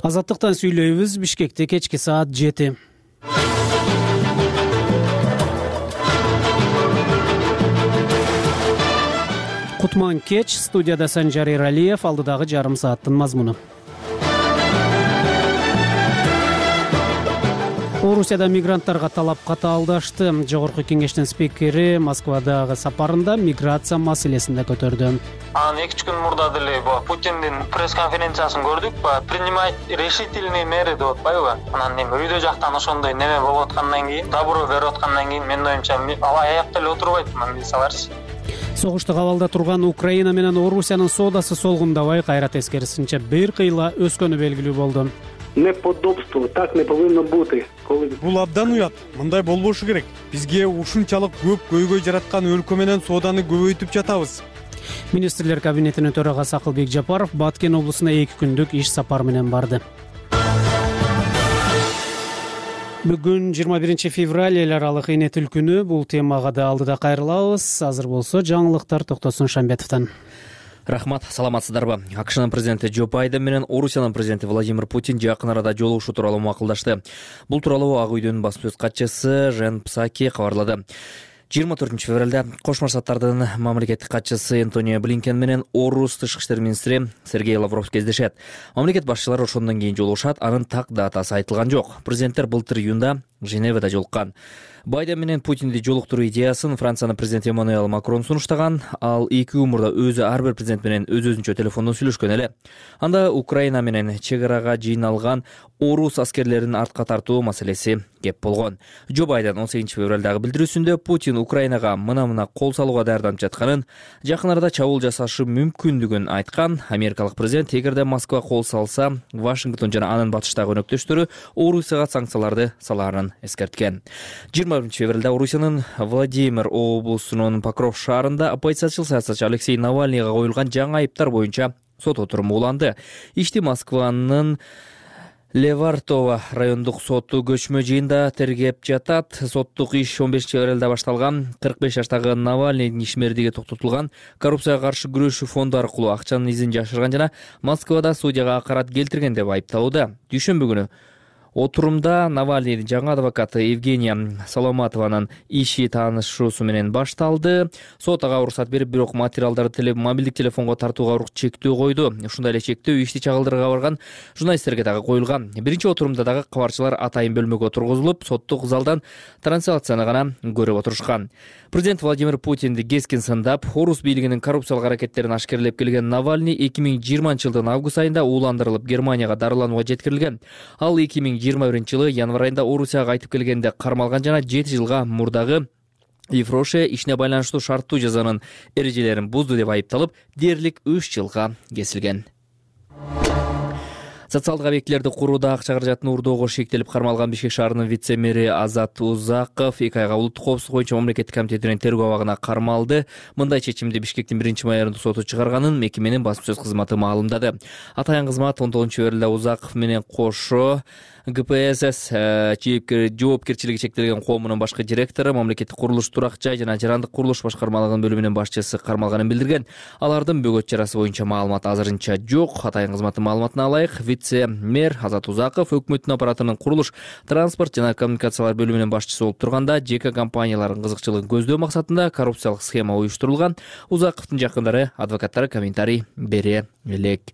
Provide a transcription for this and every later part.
Азаттыктан сүйлөйбүз. Бишкекте кечки саат 7. Кутман кеч. Студияда Санжар Эралиев. Алдыдагы жарым сааттын мазмуну. Орусияда мигранттарга талап катаалдашты. Жогорку кеңештин спикери Москвадагы сапарында миграция маселесин да көтөрдү. Анан 2 күн мурда деле Путиндин пресс-конференциясын көрдүк. Принимать решительные меры деп атпайбы? Анан үйдө жактан ошондой неме болуп аткандан кийин, добро берип аткандан кийин менин оюмча ал аякта эле отурбайт, мисаларчы. Согуштук абалда турган Украина менен Орусиянын соодасы солгундабай, кайра тескерисинче бир кыйла өскөнү белгилүү болду. Неподобство, так не повинно бути. Бул абдан уят. Мындай болбошу керек. Бизге ушунчалык көп көйгөй жараткан өлкө менен сооданы көбөйтүп жатабыз. Министрлер кабинетинин төрагасы Акылбек Жапаров Баткен облусуна 2 күндүк иш сапар менен барды. Бүгүн 21 февраль эл аралык эне тил күнү. Бул темага да алдыда кайрылабыз. Азыр болсо жаңылыктар Токтосун Шамбетовдон. Рахмат, саламатсыздарбы? АКШнын президенти Джо Байден менен Орусиянын президенти Владимир Путин жакын арада жолугушуу тууралуу макулдашты. Бул тууралуу Ак үйдүн басма сөз катчысы Жен Псаки кабарлады. 24 февралда Кошмо Штаттардын мамлекеттик катчысы Антонио Блинкен менен Орус тышкы иштер министри Сергей Лавров кездешет. Мамлекет башчылары ошондон кийин жолугушат, анын так датасы айтылган жок. Президенттер былтыр июнда Женевада жолуккан. Байден менен Путинди жолуктуруу идеясын Франциянын президенти Эммануэл Макрон сунуштаган. Ал 2 күн мурда өзү ар бир президент менен өз-өзүнчө телефондон сүйлөшкөн эле. Анда Украина менен чек арага жыйналган орус аскерлерин артка тартуу маселеси кеп болгон. Джо Байден 18 февралдагы билдирүүсүндө Путин Украинага мына кол салууга даярданып жатканын, жакын арада чабуул жасашы мүмкүндүгүн айткан. Америкалык президент эгерде Москва кол салса, Вашингтон жана анын батыштагы өнөктөштөрү Орусияга санкцияларды салаарын эскерткен. 20 февралда Орусиянын Владимир облусунун Покров шаарында оппозициячыл саясатчы Алексей Навальныйга коюлган жаңы айыптар боюнча сот отуруму уланды. Ишти Москванын Левартово райондук соту көчмө жыйында тергеп жатат. Соттук иш 15 февралда башталган. 45 жаштагы Навальныйдын ишмердиги токтотулган. Коррупцияга каршы күрөшүү фонду аркылуу акчанын изин жашырган жана Москвада судьяга акарат келтирген деп айыпталууда. Дүйшөмбү күнү отурумда Навальныйдын жаңы адвокаты Евгения Соломатованын иши таанышуусу менен башталды. Сот ага уруксат берип, бирок материалдарды мобилдик телефонго тартууга чектөө койду. Ушундай эле чектөө ишти чагылдырууга барган журналисттерге дагы коюлган. Биринчи отурумда дагы кабарчылар атайын бөлмөгө тургузулуп, соттук залдан трансляцияны гана көрүп отурушкан. Президент Владимир Путинди кескин сындап, орус бийлигинин коррупциялык аракеттерин ашкерлеп келген Навальный 2020-жылдын август айында ууландырылып Германияга дарыланууга жеткирилген. Ал 2021-жылы январ айында Орусияга кайтып келгенде кармалган жана 7 жылга мурдагы Ефроше ишине байланыштуу шарттуу жазанын эрежелерин бузду деп айыпталып, дээрлик 3 жылга кесилген. Социалдык объектилерди курууда акча каражатын уурдоого шектелип кармалган Бишкек шаарынын вице-мэри Азат Узаков 2 айга улуттук коопсуздук боюнча мамлекеттик комитетинин тергөө абагына кармалды. Мындай чечимди Бишкектин 1-майордук соту чыгарганын мекеменин басма сөз кызматы маалымдады. Атайын кызмат 19 февралда Узаков менен кошо ГПСС жоопкерчилиги чектелген коомунун башкы директору, мамлекеттик курулуш, турак жай жана жарандык курулуш башкармалыгынын бөлүмүнүн башчысы кармалганын билдирген. Алардын бөгөт чарасы боюнча маалымат азырынча жок. Атайын кызматтын маалыматына ылайык, вице-мэр Азат Узаков өкмөттүн аппаратынын курулуш, транспорт жана коммуникациялар бөлүмүнүн башчысы болуп турганда, ЖК компаниялардын кызыкчылыгын көздөө максатында коррупциялык схема уюштурулган. Узаковдун жакындары, адвокаттары комментарий бере элек.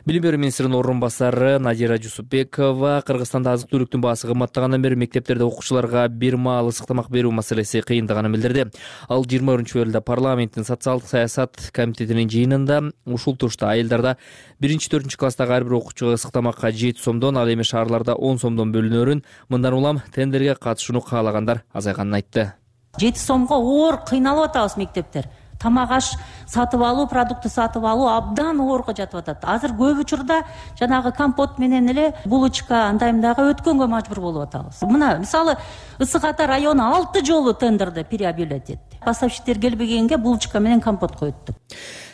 Билим берүү министринин орун басары Надира Жусупбекова Кыргызстанда азык-түлүктүн баасы кымбаттагандан бери мектептерде окуучуларга бир маал ысык тамак берүү маселеси кыйындаганын билдирди. Ал 20 февралда парламенттин социалдык саясат комитетинин жыйынында ушул турушта айылдарда 1-4 класстагы ар бир окуучуга ысык тамакка 7 сомдон, ал эми шаарларда 10 сомдон бөлүнөрүн, мындан улам тендерге катышууну каалагандар азайганын айтты. 7 сомго оор кыйналып атабыз мектептер. Тамак аш сатып алуу, продукты сатып алуу абдан оорго жатып атат. Азыр көп учурда жанагы компот менен эле булочка андаймдагы өткөнгө мажбур болуп атабыз. Мына мисалы Ысык Ата району 6 жолу тендерде переобъявлять этти. Поставщиктер келбегенге булочка менен компот коюпту.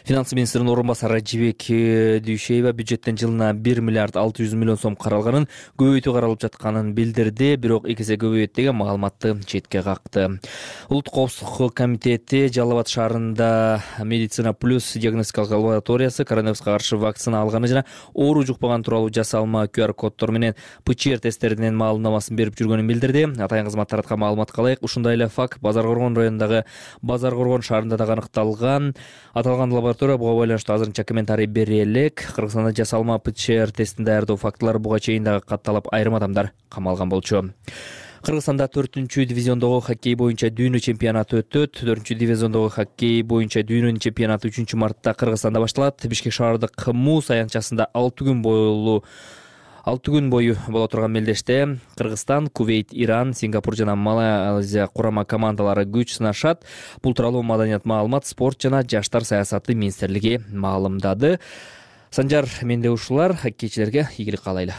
Финанс министринин орун басары Жибек Дүйшеева бюджеттен жылына 1 миллиард 600 миллион сом каралганын, көбөйтүү каралып жатканын билдирди, бирок 2 эсе көбөйөт деген маалыматты четке какты. Улуттук коопсуздук комитети Жалал Абад шаарында Медицина плюс диагностикалык лабораториясы коронавируска каршы вакцина алганы жана оору жукпаган тууралуу жасалма QR коддор менен ПЧР тесттеринин маалымдамасын берип жүргөнүн билдирди. Атайын кызмат тараткан маалыматка ылайык, ушундай эле факт Базар Коргон районундагы Базар Коргон шаарында да аныкталган. Аталган лаборатория буга байланыштуу азырынча комментарий бере элек. Кыргызстанда жасалма ПЧР тестин даярдоо фактылары буга чейин дагы катталып, айрым адамдар камалган болчу. Кыргызстанда 4-дивизиондогу хоккей боюнча дүйнө чемпионаты өтөт. 4-дивизиондогу хоккей боюнча дүйнөнүн чемпионаты 3-мартта Кыргызстанда башталат. Бишкек шаардык Муз аянтчасында 6 күн бою боло турган мелдеште Кыргызстан, Кувейт, Иран, Сингапур жана Малайзия курама командалары күч сынашат. Бул тууралуу Маданият, маалымат, спорт жана жаштар саясаты министрлиги маалымдады. Санжар, менде ушулар. Хоккейчилерге ийгилик каалайлы.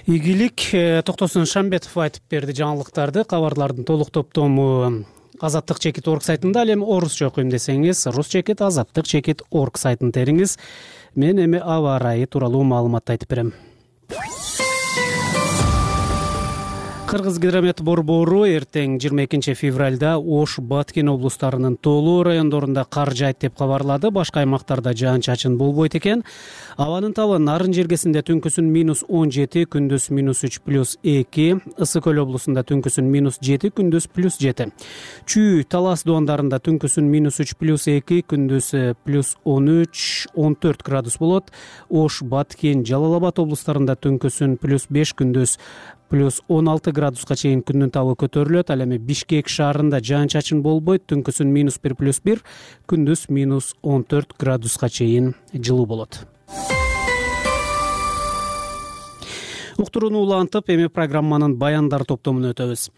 Ийгилик. Токтосун Шамбетов айтып берди жаңылыктарды. Кабарлардын толук топтому Азаттык чекит орг сайтында, ал эми орусча окуйм десеңиз, рус чекит азаттык чекит орг сайтын териңиз. Мен эми аба ырайы тууралуу маалымат айтып берем. Кыргызгидромет борбору эртең 22 февралда Ош, Баткен облустарынын тоолуу райондорунда кар жаайт деп кабарлады. Башка аймактарда жаан-чачын болбойт экен. Абанын табы Нарын жергесинде түнкүсүн -17, күндүз -3+2, Ысык көл облусунда түнкүсүн -7, күндүз +7. Чүй, Талас дуандарында түнкүсүн -3+2, күндүз +13, 14 градус болот. Ош, Баткен, Жалал Абад облустарында түнкүсүн +5, күндүз +16 градуска чейин күндүн табы көтөрүлөт. Ал эми Бишкек шаарында жаан-чачын болбойт, түнкүсүн -1+1, күндүз -14 градуска чейин жылуу болот. Уктурууну улантып, эми программанын баяндар топтомуна өтөбүз.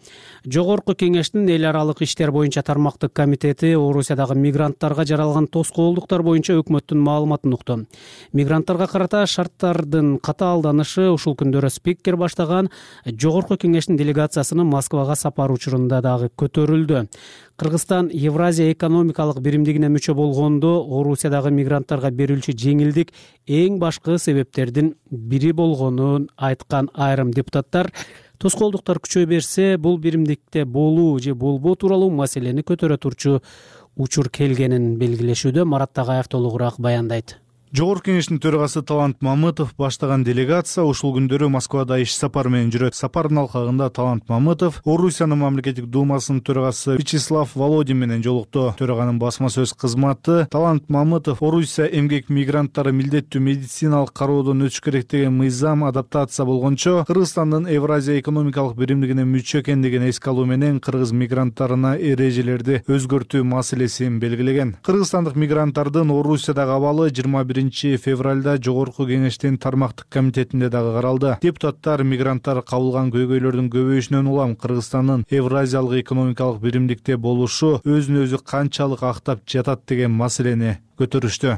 Жогорку кеңештин эл аралык иштер боюнча тармактык комитети Орусиядагы мигранттарга жаралган тоскоолдуктар боюнча өкмөттүн маалыматын укту. Мигранттарга карата шарттардын катаалданышы ушул күндөрү спикер баштаган Жогорку кеңештин делегациясынын Москвага сапары учурунда дагы көтөрүлдү. Кыргызстан Евразия экономикалык биримдигине мүчө болгондо Орусиядагы мигранттарга берилчү жеңилдик эң башкы себептердин бири болгонун айткан айрым депутаттар, тоскоолдуктар күчөй берсе, бул биримдикте болуу же болбоо тууралуу маселени көтөрө турчу учур келгенин белгилешүүдө. Марат Тагаев толугураак баяндайт. Жогорку кеңештин төрагасы Талант Мамытов баштаган делегация ушул күндөрү Москвада иш сапары менен жүрөт. Сапардын алкагында Талант Мамытов Орусиянын мамлекеттик думасынын төрагасы Вячеслав Володин менен жолукту. Төраганын басма сөз кызматы Талант Мамытов Орусия эмгек мигранттары милдеттүү медициналык кароодон өтүш керек деген мыйзам адаптация болгончо Кыргызстандын Евразия экономикалык биримдигине мүчө экендигин эске алуу менен кыргыз мигранттарына эрежелерди өзгөртүү маселесин белгилеген. Кыргызстандык мигранттардын Орусиядагы абалы 21 февралда Жогорку кеңештин тармактык комитетинде дагы каралды. Депутаттар мигранттар кабылган көйгөйлөрдүн көбөйүшүнөн улам Кыргызстандын Евразиялык экономикалык биримдикте болушу өзүн өзү канчалык актап жатат деген маселени көтөрүштү.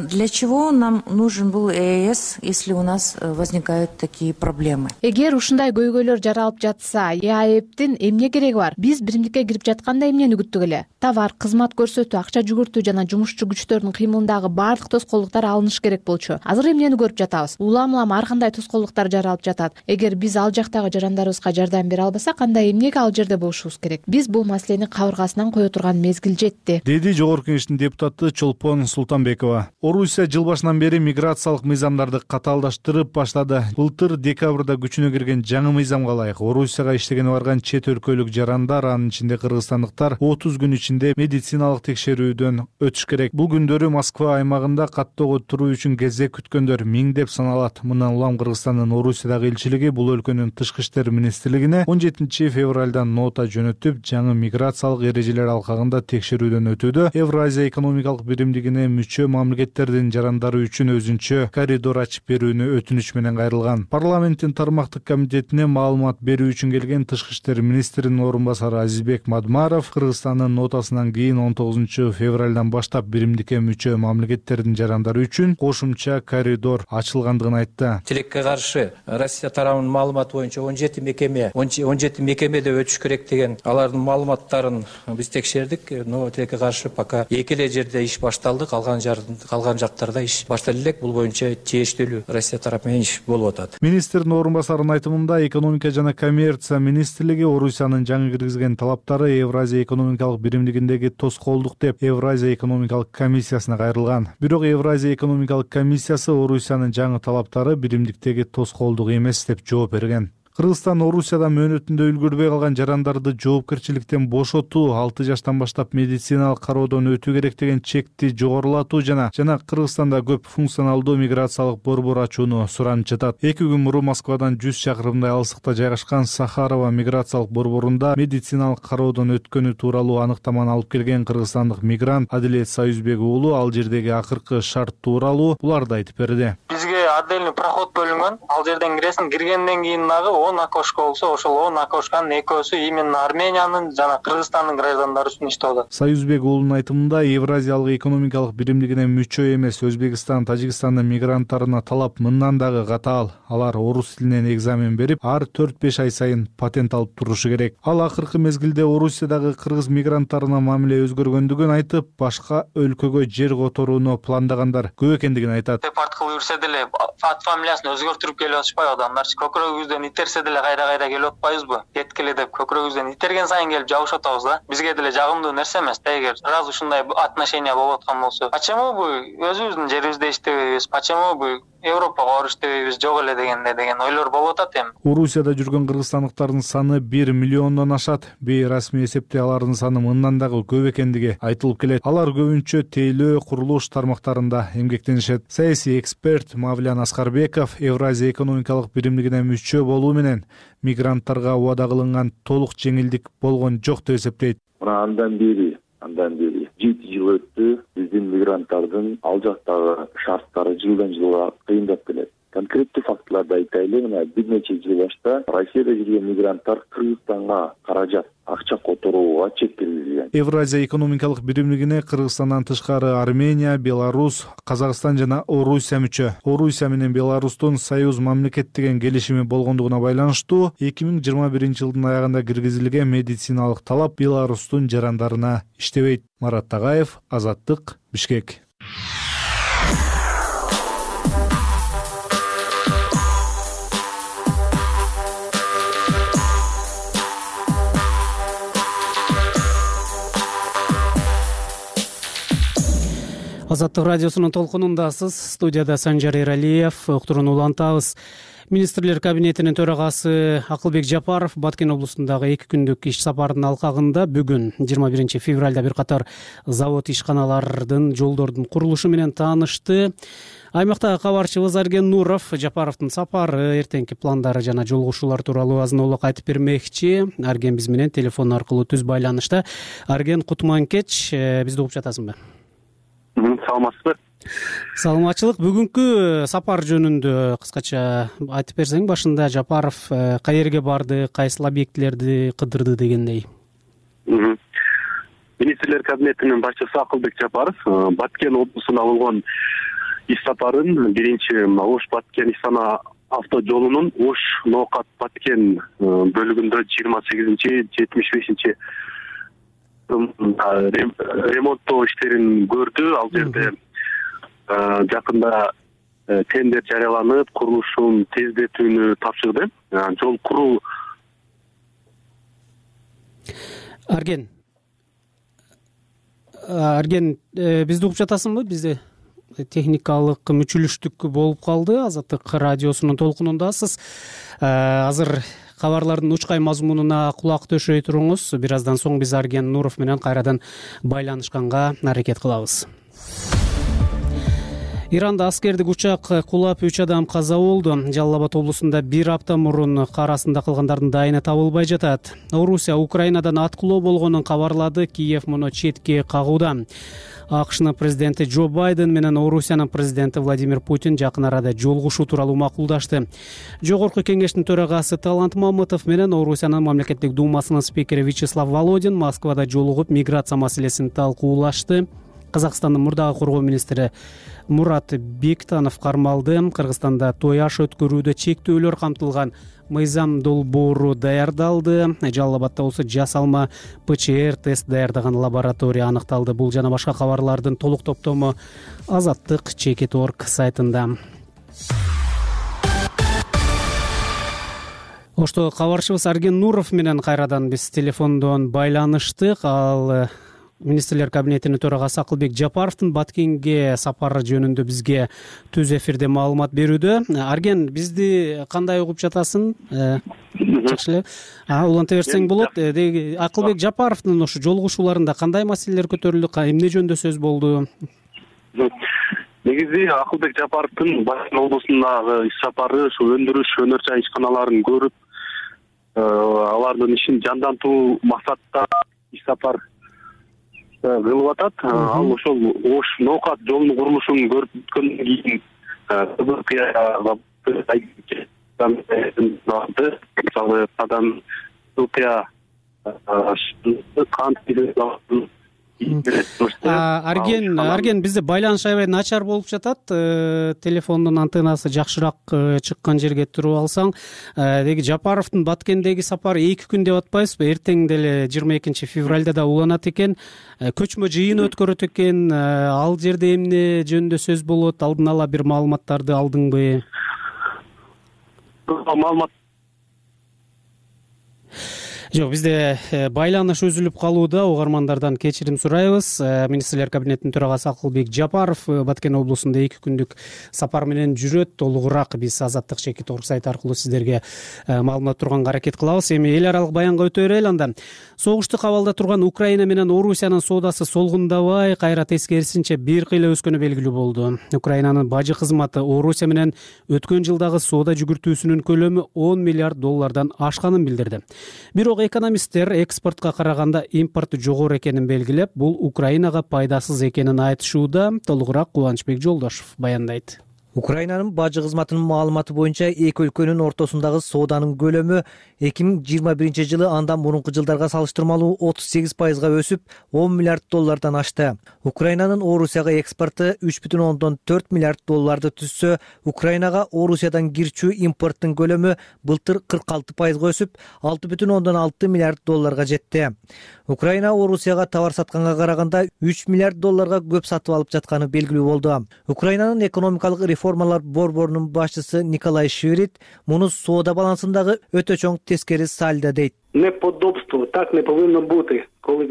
Для чего нам нужен был ЕС, если у нас возникают такие проблемы? Эгер ушундай көйгөйлөр жаралып жатса, ЕАЭПтин эмне кереги бар? Биз биримдикке кирип жатканда эмнени күттүк эле? Товар, кызмат көрсөтүү, акча жүгүртүү жана жумушчу күчтөрдүн кыймылындагы баардык тоскоолдуктар алыныш керек болчу. Азыр эмнени көрүп жатабыз? Улам ар кандай тоскоолдуктар жаралып жатат. Эгер биз ал жактагы жарандарыбызга жардам бере албасак, анда эмнеге ал жерде болушубуз керек? Биз бул маселени кабыргасынан кое турган мезгил жетти, деди Жогорку кеңештин депутаты Чолпон Султанбекова. Орусия жыл башынан бери миграциялык мыйзамдарды катаалдаштырып баштады. Былтыр декабрда күчүнө кирген жаңы мыйзамга ылайык Орусияга иштегени барган чет өлкөлүк жарандар, анын ичинде кыргызстандыктар 30 күн ичинде медициналык текшерүүдөн өтүш керек. Бул күндөрү Москва аймагында каттоого туруу үчүн кезек күткөндөр миңдеп саналат. Мындан улам Кыргызстандын Орусиядагы элчилиги бул өлкөнүн тышкы иштер министрлигине 17 февралдан нота жөнөтүп, жаңы миграциялык эрежелер алкагында текшерүүдөн өтүүдө. Евразия экономикалык биримдигине мүчө мамлекеттердин жарандары үчүн өзүнчө коридор ачып берүүнү өтүнүч менен кайрылган. Парламенттин тармактык комитетине маалымат берүү үчүн келген тышкы иштер министринин орун басары Азизбек Мадмаров Кыргызстандын нотасынан кийин 19 февралдан баштап биримдикке мүчө мамлекеттердин жарандары үчүн кошумча коридор ачылгандыгын айтты. Тилекке каршы Россия тарабынын маалыматы боюнча 17 мекемеде өтүш керек деген алардын маалыматтарын биз текшердик, но тилекке каршы пока эки эле жерде иш башталды. башталды, калган жактарда иш баштале элек. Бул боюнча тийиштүү Россия тарапы менен иш болуп атат. Министрдин орун басарынын айтымында экономика жана коммерция министрлиги Орусиянын жаңы киргизген талаптары Евразия экономикалык биримдигиндеги тоскоолдук деп Евразия экономикалык комиссиясына кайрылган. Бирок Евразия экономикалык комиссиясы Орусиянын жаңы талаптары биримдиктеги тоскоолдук эмес деп жооп берген. Кыргызстан Орусиядан мөөнөтүндө үлгүрбөй калган жарандарды жоопкерчиликтен бошотуу, 6 жаштан баштап медициналык кароодон өтүү керек деген чекти жогорулатуу жана Кыргызстанда көп функционалдуу миграциялык борбор ачууну суранып жатат. 2 күн мурун Москвадан 100 чакырымдай алыстыкта жайгашкан Сахарова миграциялык борборунда медициналык кароодон өткөнү тууралуу аныктаманы алып келген кыргызстандык мигрант Адилет Союзбек уулу ал жердеги акыркы шарт тууралуу буларды айтып берди. Бизге отдельный проход бөлүнгөн. Ал жерден киресиң, киргенден кийин дагы 10 окошко болсо, ошол 10 окошканын экөөсү именно Армениянын жана Кыргызстандын граждандары үчүн иштеп атат. Союзбек уулунун айтымында Евразиялык экономикалык биримдигине мүчө эмес Өзбекстан, Тажикстандын мигранттарына талап мындан дагы катаал. Алар орус тилинен экзамен берип, ар 4-5 ай сайын патент алып турушу керек. Ал акыркы мезгилде Орусиядагы кыргыз мигранттарына мамиле өзгөргөндүгүн айтып, башка өлкөгө жер которууну пландагандар көп экендигин айтат. Депорт кылып жүрсө деле ат фамилиясын өзгөртүрүп келип атышпайбы адамдарчы? Көкүрөгүбүздөн итерсе деле кайра келип атпайбызбы? Кеткиле деп көкүрөгүбүздөн итерген сайын келип жабышып атабыз да. Бизге деле жагымдуу нерсе эмес. Эгер сразу ушундай отношения болуп аткан болсо, почему бу өзүбүздүн жерибизде иштебейбиз? Почему бу Европага барып иштебейбиз жок эле деген ойлор болуп атат эми. Орусияда жүргөн кыргызстандыктардын саны 1 миллиондон ашат. Бейрасмий эсепте алардын саны мындан дагы көп экендиги айтылып келет. Алар көбүнчө тейлөө, курулуш тармактарында эмгектенишет. Саясий эксперт Мавлян Аскарбеков Евразия экономикалык биримдигине мүчө болуу менен мигранттарга убада кылынган толук жеңилдик болгон жок деп эсептейт. Андан бери 7 жыл өттү. Биздин мигранттардын ал жактагы шарттары жылдан жылга кыйындап келет. Конкреттүү фактыларды айтайлы, мына бир нече жыл башта Россияда жүргөн мигранттар Кыргызстанга каражат, акча которууга чек киргизилген. Евразия экономикалык биримдигине Кыргызстандан тышкары Армения, Беларусь, Казакстан жана Орусия мүчө. Орусия менен Беларустун союз мамлекет деген келишими болгондугуна байланыштуу 2021 жылдын аягында киргизилген медициналык талап Беларустун жарандарына иштебейт. Марат Тагаев, Азаттык, Бишкек. Азаттык радиосунун толкунундасыз. Студияда Санжар Эралиев. Уктурууну улантабыз. Министрлер кабинетинин төрагасы Акылбек Жапаров Баткен облусундагы 2 күндүк иш сапарынын алкагында бүгүн 21 февралда бир катар завод ишканалардын жолдордун курулушу менен таанышты. Аймактагы кабарчыбыз Арген Нуров Жапаровдун сапары, эртеңки пландары жана жолугушуулар тууралуу азын-аулак айтып бермекчи. Арген биз менен телефон аркылуу түз байланышта. Арген, кутман кеч. Бизди угуп жатасыңбы? Саламатсызбы? Саламатчылык. Бүгүнкү сапар жөнүндө кыскача айтып берсең, башында Жапаров каерге барды, кайсыл объектилерди кыдырды дегендей. Министрлер кабинетинин башчысы Акылбек Жапаров Баткен облусуна болгон иш сапарын биринчи Ош-Баткен Истана автожолунун Ош-Ноокат-Баткен бөлүгүндө 28-75 ремонттоо иштерин көрдү. Ал жерде жакында тендер жарыяланып, курулушун тездетүүнү тапшырды. Жол куруу. Арген, бизди угуп жатасыңбы? Бизде техникалык мүчүлүштүк болуп калды. Азаттык радиосунун толкунундасыз. Азыр кабарлардын учкай мазмунуна кулак төшөй туруңуз. Бир аздан соң биз Арген Нуров менен кайрадан байланышканга аракет кылабыз. Иранда аскердик учак кулап 3 адам каза болду. Жалал Абад облусунда 1 апта мурун кар астында калгандардын дайыны табылбай жатат. Орусия Украинадан аткылоо болгонун кабарлады. Киев муну четке кагууда. АКШнын президенти Джо Байден менен Орусиянын президенти Владимир Путин жакын арада жолугушуу тууралуу макулдашты. Жогорку кеңештин төрагасы Талант Мамытов менен Орусиянын мамлекеттик думасынын спикери Вячеслав Володин Москвада жолугуп миграция маселесин талкуулашты. Казакстандын мурдагы коргоо министри Мурат Бектанов кармалды. Кыргызстанда той аш өткөрүүдө чектөөлөр камтылган мыйзам долбоору даярдалды. Жалал Абадда болсо жасалма ПЧР тест даярдаган лаборатория аныкталды. Бул жана башка кабарлардын толук топтому Азаттык Чекит.org сайтында. Ошто кабарчыбыз Арген Нуров менен кайрадан биз телефондон байланыштык. Ал Министрлер кабинетинин төрагасы Акылбек Жапаровдун Баткенге сапары жөнүндө бизге түз эфирде маалымат берүүдө. Арген, бизди кандай угуп жатасың? Жакшы эле. Уланта берсең болот. Акылбек Жапаровдун ошо жолугушууларында кандай маселелер көтөрүлдү, эмне жөнүндө сөз болду? Негизи Акылбек Жапаровдун Баткен облусундагы иш сапары ушу өндүрүш, өнөр жай ишканаларын көрүп, алардын ишин жандантуу максатта иш сапар кылып атат. Ал ошол Ош Ноокат жолунун курулушун көрүп өткөндөн кийин мисалы Кадан Туркия Арген, бизде байланыш аябай начар болуп жатат. Телефондун антеннасы жакшыраак чыккан жерге туруп алсаң. Деги Жапаровдун Баткендеги сапары 2 күн деп атпайсызбы? Эртең деле 22 февралда да уланат экен. Көчмө жыйын өткөрөт экен. Ал жерде эмне жөнүндө сөз болот? Алдын ала бир маалыматтарды алдыңбы? Маалымат Жок, бизде байланыш үзүлүп калууда. Угармандардан кечирим сурайбыз. Министрлер кабинетинин төрагасы Акылбек Жапаров Баткен облусунда 2 күндүк сапар менен жүрөт. Толугураак биз Азаттык Чекит.org сайты аркылуу сиздерге маалымат турганга аракет кылабыз. Эми эл аралык баянга өтө берели анда. Согушту кабалда турган Украина менен Орусиянын соодасы солгундабай, кайра тескерисинче бир кыйла өскөнү белгилүү болду. Украинанын бажы кызматы Орусия менен өткөн жылдагы соода жүгүртүүсүнүн көлөмү $10 миллиард ашканын билдирди. Бирок экономисттер экспортко караганда импорт жогору экенин белгилеп, бул Украинага пайдасыз экенин айтышууда. Толугураак Кубанычбек Жолдошов баяндайт. Украинанын бажы кызматынын маалыматы боюнча эки өлкөнүн ортосундагы сооданын көлөмү 2021 жылы андан мурунку жылдарга салыштырмалуу 38%га өсүп, $10 миллиард ашты. Украинанын Орусияга экспорту $3,4 миллиард түзсө, Украинага Орусиядан кирчүү импорттун көлөмү былтыр 46%га өсүп, $6,6 миллиард жетти. Украина Орусияга товар сатканга караганда $3 миллиард көп сатып алып жатканы белгилүү болду. Украинанын экономикалык реформалар борборунун башчысы Николай Швирит муну соода балансындагы өтө чоң тескери сальдо дейт. Неподобство, так не повинно бути.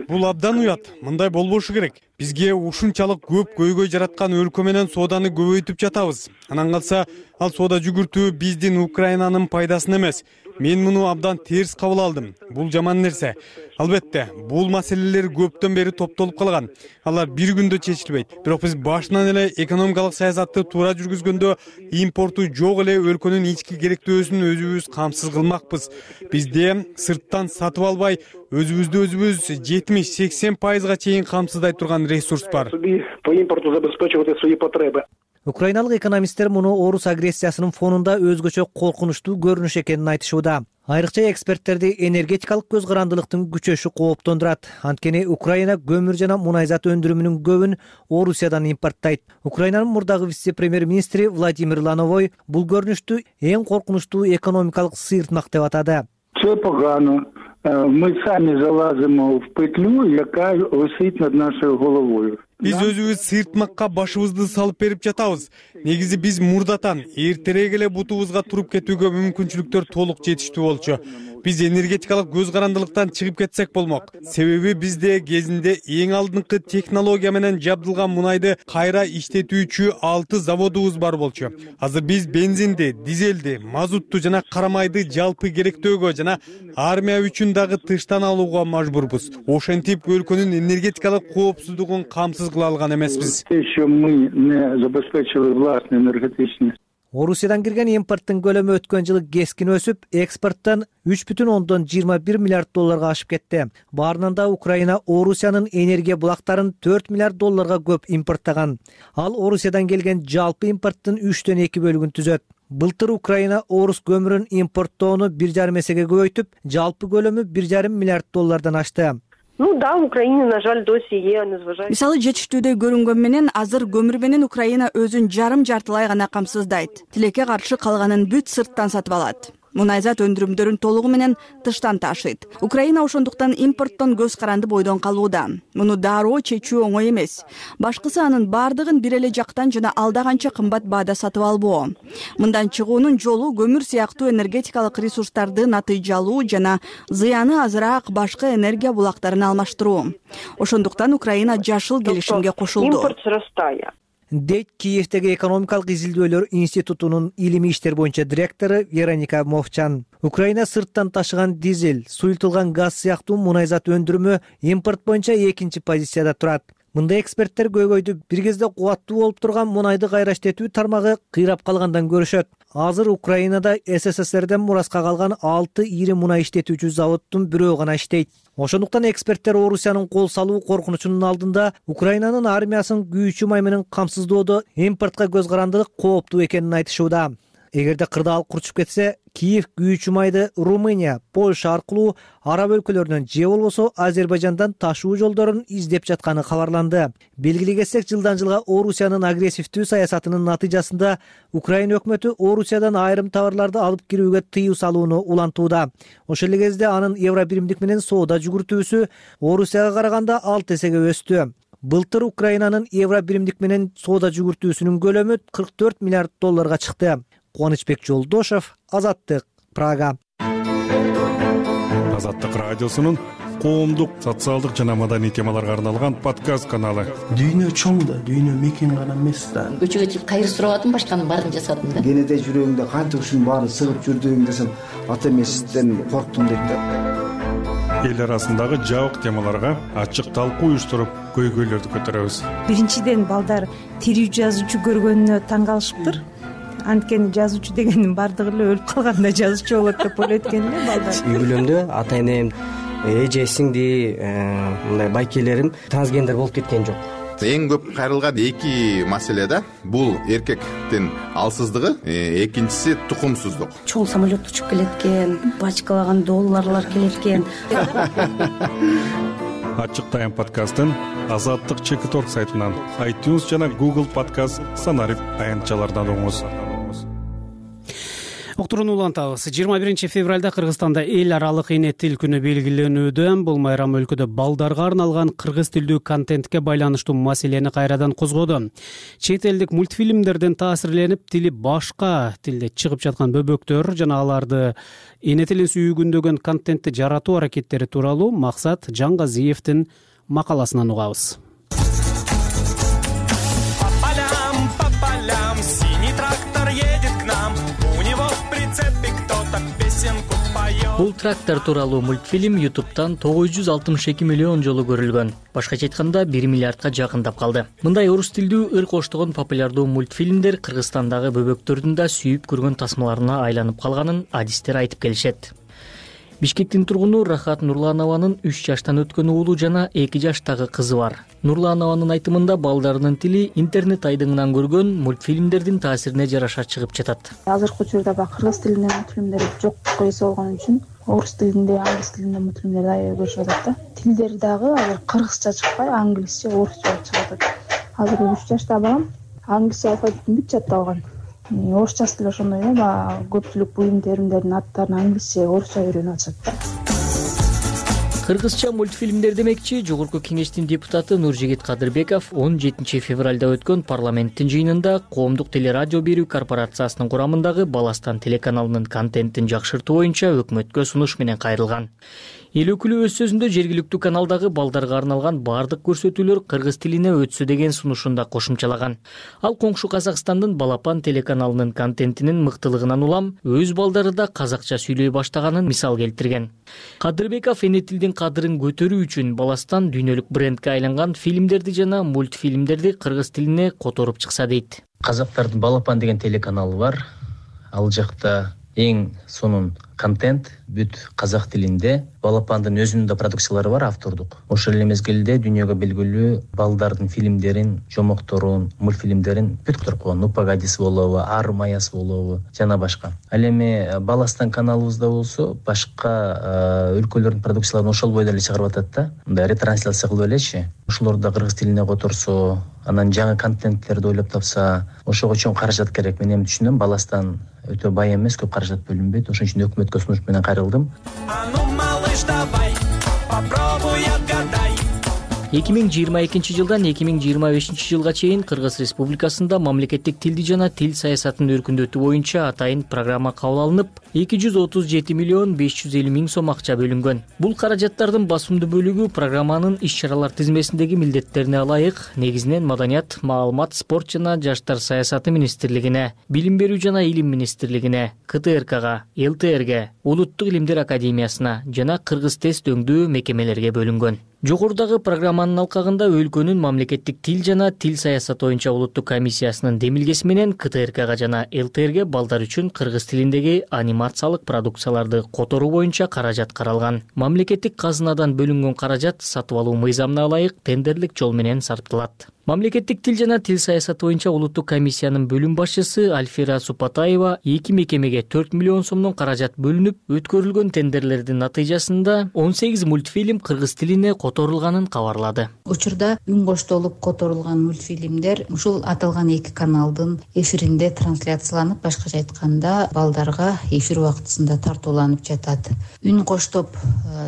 Бул абдан уят, мындай болбошу керек. Бизге ушунчалык көп көйгөй жараткан өлкө менен сооданы көбөйтүп жатабыз. Анан калса, ал соода жүгүртүү биздин Украинанын пайдасына эмес. Мен муну абдан терс кабыл алдым. Бул жаман нерсе. Албетте, бул маселелер көптөн бери топтолуп калган. Алар бир күндө чечилбейт. Бирок биз башынан эле экономикалык саясатты туура жүргүзгөндө импорту жок эле өлкөнүн ички керектөөсүн өзүбүз камсыз кылмакпыз. Бизде сырттан сатып албай, өзүбүз 70-80%га чейин камсыздай турган ресурс бар. По импорту забезпечивать свои потребы. Украиналык экономисттер муну орус агрессиясынын фонунда өзгөчө коркунучтуу көрүнүш экенин айтышууда. Айрыкча эксперттерди энергетикалык көз карандылыктын күчөшү кооптондурат. Анткени Украина көмүр жана мунайзат өндүрүмүнүн көбүн Орусиядан импорттайт. Украинанын мурдагы вице-премьер-министри Владимир Лановой бул көрүнүштү эң коркунучтуу экономикалык сыйыртмак деп атады. Це погано. Ми самі залазимо в петлю, яка висить над нашою головою. Биз өзүбүз сыйыртмакка башыбызды салып берип жатабыз. Негизи биз мурдатан эртерээк эле бутубузга туруп кетүүгө мүмкүнчүлүктөр толук жетиштүү болчу. Биз энергетикалык көз карандылыктан чыгып кетсек болмок. Себеби бизде кезинде эң алдыңкы технология менен жабдылган мунайды кайра иштетүүчү 6 заводубуз бар болчу. Азыр биз бензинди, дизелди, мазутту жана карамайды жалпы керектөөгө жана армия үчүн дагы тыштан алууга мажбурбуз. Ошентип өлкөнүн энергетикалык коопсуздугун камсыз кыла алган эмеспиз. Еще мы не забезпечили властный энергетичный. Орусиядан кирген импорттун көлөмү өткөн жылы кескин өсүп, экспорттон $3,21 миллиард ашып кетти. Баарынан да Украина Орусиянын энергия булактарын $4 миллиард көп импорттаган. Ал Орусиядан келген жалпы импорттун 3/2 түзөт. Былтыр Украина орус көмүрүн импорттоону 1,5 эсеге көбөйтүп, жалпы көлөмү $1,5 миллиард ашты. Да, Украина, на жаль, досі є, незважаючи. Мисалы, жетиштүүдөй көрүнгөн менен азыр көмүр менен Украина өзүн жарым-жартылай гана камсыздайт. Тилекке каршы калганын бүт сырттан сатып алат. Мунайзат өндүрүмдөрүн толугу менен тыштан ташыйт. Украина ошондуктан импорттон көз каранды бойдон калууда. Муну дароо чечүү оңой эмес. Башкысы анын бардыгын бир эле жактан жана алда канча кымбат баада сатып албоо. Мындан чыгуунун жолу көмүр сыяктуу энергетикалык ресурстарды натыйжалуу жана зыяны азыраак башка энергия булактарын алмаштыруу. Ошондуктан Украина жашыл келишимге кошулду. Импорт сырастая. Дейт Киевдеги экономикалык изилдөөлөр институтунун илимий иштер боюнча директору Вероника Мовчан. Украина сырттан ташыган дизель, суюлтулган газ сыяктуу мунайзат өндүрүмү импорт боюнча экинчи позицияда турат. Мындай эксперттер көйгөйдү бир кезде кубаттуу болуп турган мунайды кайраштетүү тармагы кыйрап калгандан көрүшөт. Азыр Украинада СССРден мураска калган 6 ири мунай иштетүүчү заводдун бирөө гана иштейт. Ошондуктан эксперттер Орусиянын кол салуу коркунучунун алдында Украинанын армиясын күйүүчү май менен камсыздоодо импортко көз карандылык кооптуу экенин айтышууда. Эгерде кырдаал курчуп кетсе, Киев күйүүчү майды Румыния, Польша аркылуу араб өлкөлөрүнөн же болбосо Азербайжандан ташуу жолдорун издеп жатканы кабарланды. Белгилей кетсек, жылдан жылга Орусиянын агрессивдүү саясатынын натыйжасында Украина өкмөтү Орусиядан айрым товарларды алып кирүүгө тыюу салууну улантууда. Ошол эле кезде анын евро биримдик менен соода жүгүртүүсү Орусияга караганда 6 эсеге өстү. Былтыр Украинанын евро биримдик менен соода жүгүртүүсүнүн көлөмү 44 миллиард долларга чыкты. Кубанычбек Жолдошев, Азаттык, Прага. Азаттык радиосунун коомдук, социалдык жана маданий темаларга арналган подкаст каналы. Дүйнө чоң да, дүйнө мекен гана эмес да. Көчөгө чыгып кайыр сурап атам, башканын баарын жасадым да. Кенеде жүрөгүңдө канча ушунун баарын сыгып жүрдүң десем, ата эмесизден корктум дейт да. Эл арасындагы жабык темаларга ачык талкуу уюштуруп, көйгөйлөрдү көтөрөбүз. Биринчиден балдар тирүү жазуучу көргөнүнө таң калышыптыр. Анткени жазуучу дегендин бардыгы эле өлүп калганда жазуучу болот деп ойлойт экен эле балдар. Үй бүлөмдө ата энем, эже сиңди, мындай байкелерим трансгендер болуп кеткен жок. Эң көп кайрылган эки маселе да. Бул эркектин алсыздыгы, экинчиси тукумсуздук. Чоң самолет учуп келет экен, бачкалаган долларлар келет экен. Ачык тайм подкастын Азаттык Чекиторг сайтынан, iTunes жана Google подкаст санарип аянтчалардан угуңуз. Уктурууну улантабыз. 21 февралда Кыргызстанда эл аралык эне тил күнү белгиленүүдө. Бул майрам өлкөдө балдарга арналган кыргыз тилдүү контентке байланыштуу маселени кайрадан козгоду. Чет элдик мультфильмдерден таасирленип, тили башка тилде чыгып жаткан бөбөктөр жана аларды эне тилин сүйгүндөгөн контентти жаратуу аракеттери тууралуу Максат Жангазиевдин макаласынан угабыз. Бул трактор тууралуу мультфильм YouTube'тан 962 миллион жолу көрүлгөн. Башкача айтканда 1 миллиардка жакындап калды. Мындай орус тилдүү ыр коштогон популярдуу мультфильмдер Кыргызстандагы бөбөктөрдүн да сүйүп көргөн тасмаларына айланып калганын адистер айтып келишет. Бишкектин тургуну Рахат Нурланованын 3 жаштан өткөн уулу жана 2 жаштагы кызы бар. Нурланованын айтымында балдарынын тили интернет айдыңынан көргөн мультфильмдердин таасирине жараша чыгып жатат. Азыркы учурда кыргыз тилинде мультфильмдер жок койсо болгон үчүн орус тилинде, англис тилинде мультфильмдерди аябай көрүшүп атат да. Тилдер дагы азыр кыргызча чыкпай, англисче, орусча чыгып атат. Азыр 3 жашта балам англисче алфавитин бүт жатталган. Орусчасы деле ошондой эле, көпчүлүк буюм теримдердин аттарын англисче, орусча үйрөнүп атышат да. Кыргызча мультфильмдер демекчи Жогорку Кеңештин депутаты Нуржигит Кадырбеков 17 февралда өткөн парламенттин жыйынында Коомдук телерадио берүү корпорациясынын курамындагы Баластан телеканалынын контентин жакшыртуу боюнча өкмөткө сунуш менен кайрылган. Эл өкүлү өз сөзүндө жергиликтүү каналдагы балдарга арналган бардык көрсөтүүлөр кыргыз тилине өтсө деген сунушунда кошумчалаган. Ал коңшу Казакстандын Балапан телеканалынын контентинин мыктылыгынан улам өз балдары да казакча сүйлөй баштаганын мисал келтирген. Кадырбеков эне тилдин кадырын көтөрүү үчүн Баластан дүйнөлүк брендке айланган фильмдерди жана мультфильмдерди кыргыз тилине которуп чыкса Казактардын Балапан деген телеканалы бар. Ал жакта эң сонун контент бүт казак тилинде. Балапандын өзүнүн да продукциялары бар, автордук. Ошол эле мезгилде дүйнөгө белгилүү балдардын фильмдерин, жомокторун, мультфильмдерин бүт которуп койгон. Упагадис болобу, Арым Аяс болобу, жана башка. Ал эми Баластан каналыбызда болсо башка өлкөлөрдүн продукцияларын ошол бойдо эле чыгарып атат да. Мындай ретрансляция кылып элечи. Ошолорду да кыргыз тилине которсо, анан жаңы контенттерди ойлоп тапса, ошого чоң каражат керек. Мен эми түшүнөм, Баластан өтө бай эмес, көп каражат бөлүнбөйт. Ошон үчүн өкмөткө сунуш менен кайрылдым. 2022 жылдан 2025 жылга чейин Кыргыз Республикасында мамлекеттик тилди жана тил саясатын өркүндөтүү боюнча атайын программа кабыл алынып, 237 миллион 550 миң сом акча бөлүнгөн. Бул каражаттардын басымдуу бөлүгү программанын иш-чаралар тизмесиндеги милдеттерине ылайык негизинен Маданият, маалымат, спорт жана жаштар саясаты министрлигине, Билим берүү жана илим министрлигине, КТРКга, ЛТРге, Улуттук илимдер академиясына жана Кыргыз тест өңдүү мекемелерге бөлүнгөн. Жогорудагы программанын алкагында өлкөнүн мамлекеттик тил жана тил саясаты боюнча улуттук комиссиясынын демилгеси менен КТРКга жана ЛТРге балдар үчүн кыргыз тилиндеги анимациялык продукцияларды которуу боюнча каражат каралган. Мамлекеттик казынадан бөлүнгөн каражат сатып алуу мыйзамына ылайык тендерлик жол менен сарпталат. Мамлекеттик тил жана тил саясаты боюнча улуттук комиссиянын бөлүм башчысы Альфира Супатаева 2 мекемеге 4 миллион сомдон каражат бөлүнүп, өткөрүлгөн тендерлердин натыйжасында 18 мультфильм кыргыз тилине которулганын кабарлады. Учурда үн коштолуп которулган мультфильмдер ушул аталган 2 каналдын эфиринде трансляцияланып, башкача айтканда балдарга эфир убактысында тартууланып жатат. Үн коштоп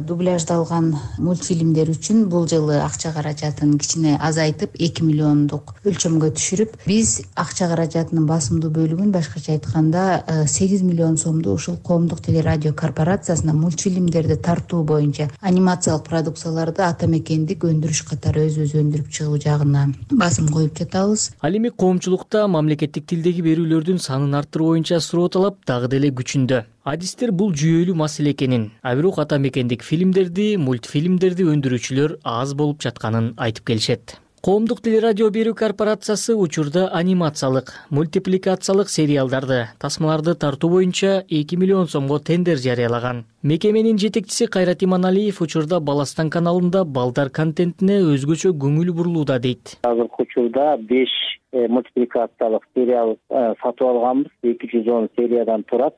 дубляждалган мультфильмдер үчүн бул жылы акча каражатын кичине азайтып 2 миллиондук өлчөмгө түшүрүп, биз акча каражатынын басымдуу бөлүгүн башкача айтканда 8 миллион сомду ушул коомдук телерадио корпорациясына мультфильмдерди тартуу боюнча анимациялык продукцияларды ата мекендик өндүрүш катары өзүбүз өндүрүп чыгуу жагына басым коюп жатабыз. Ал эми коомчулукта мамлекеттик тилдеги берүүлөрдүн санын арттыруу боюнча суроо талап дагы деле күчүндө. Адистер бул жүйөлүү маселе экенин, а бирок ата мекендик фильмдерди, мультфильмдерди өндүрүүчүлөр аз болуп жатканын айтып келишет. Коомдук телерадио берүү корпорациясы учурда анимациялык, мультипликациялык сериалдарды, тасмаларды тартуу боюнча 2 миллион сомго тендер жарыялаган. Мекеменин жетекчиси Кайрат Иманалиев учурда Баластан каналында балдар контентине өзгөчө көңүл бурулууда дейт. Азыркы учурда 5 мультипликациялык сериал сатып алганбыз, 210 сериядан турат.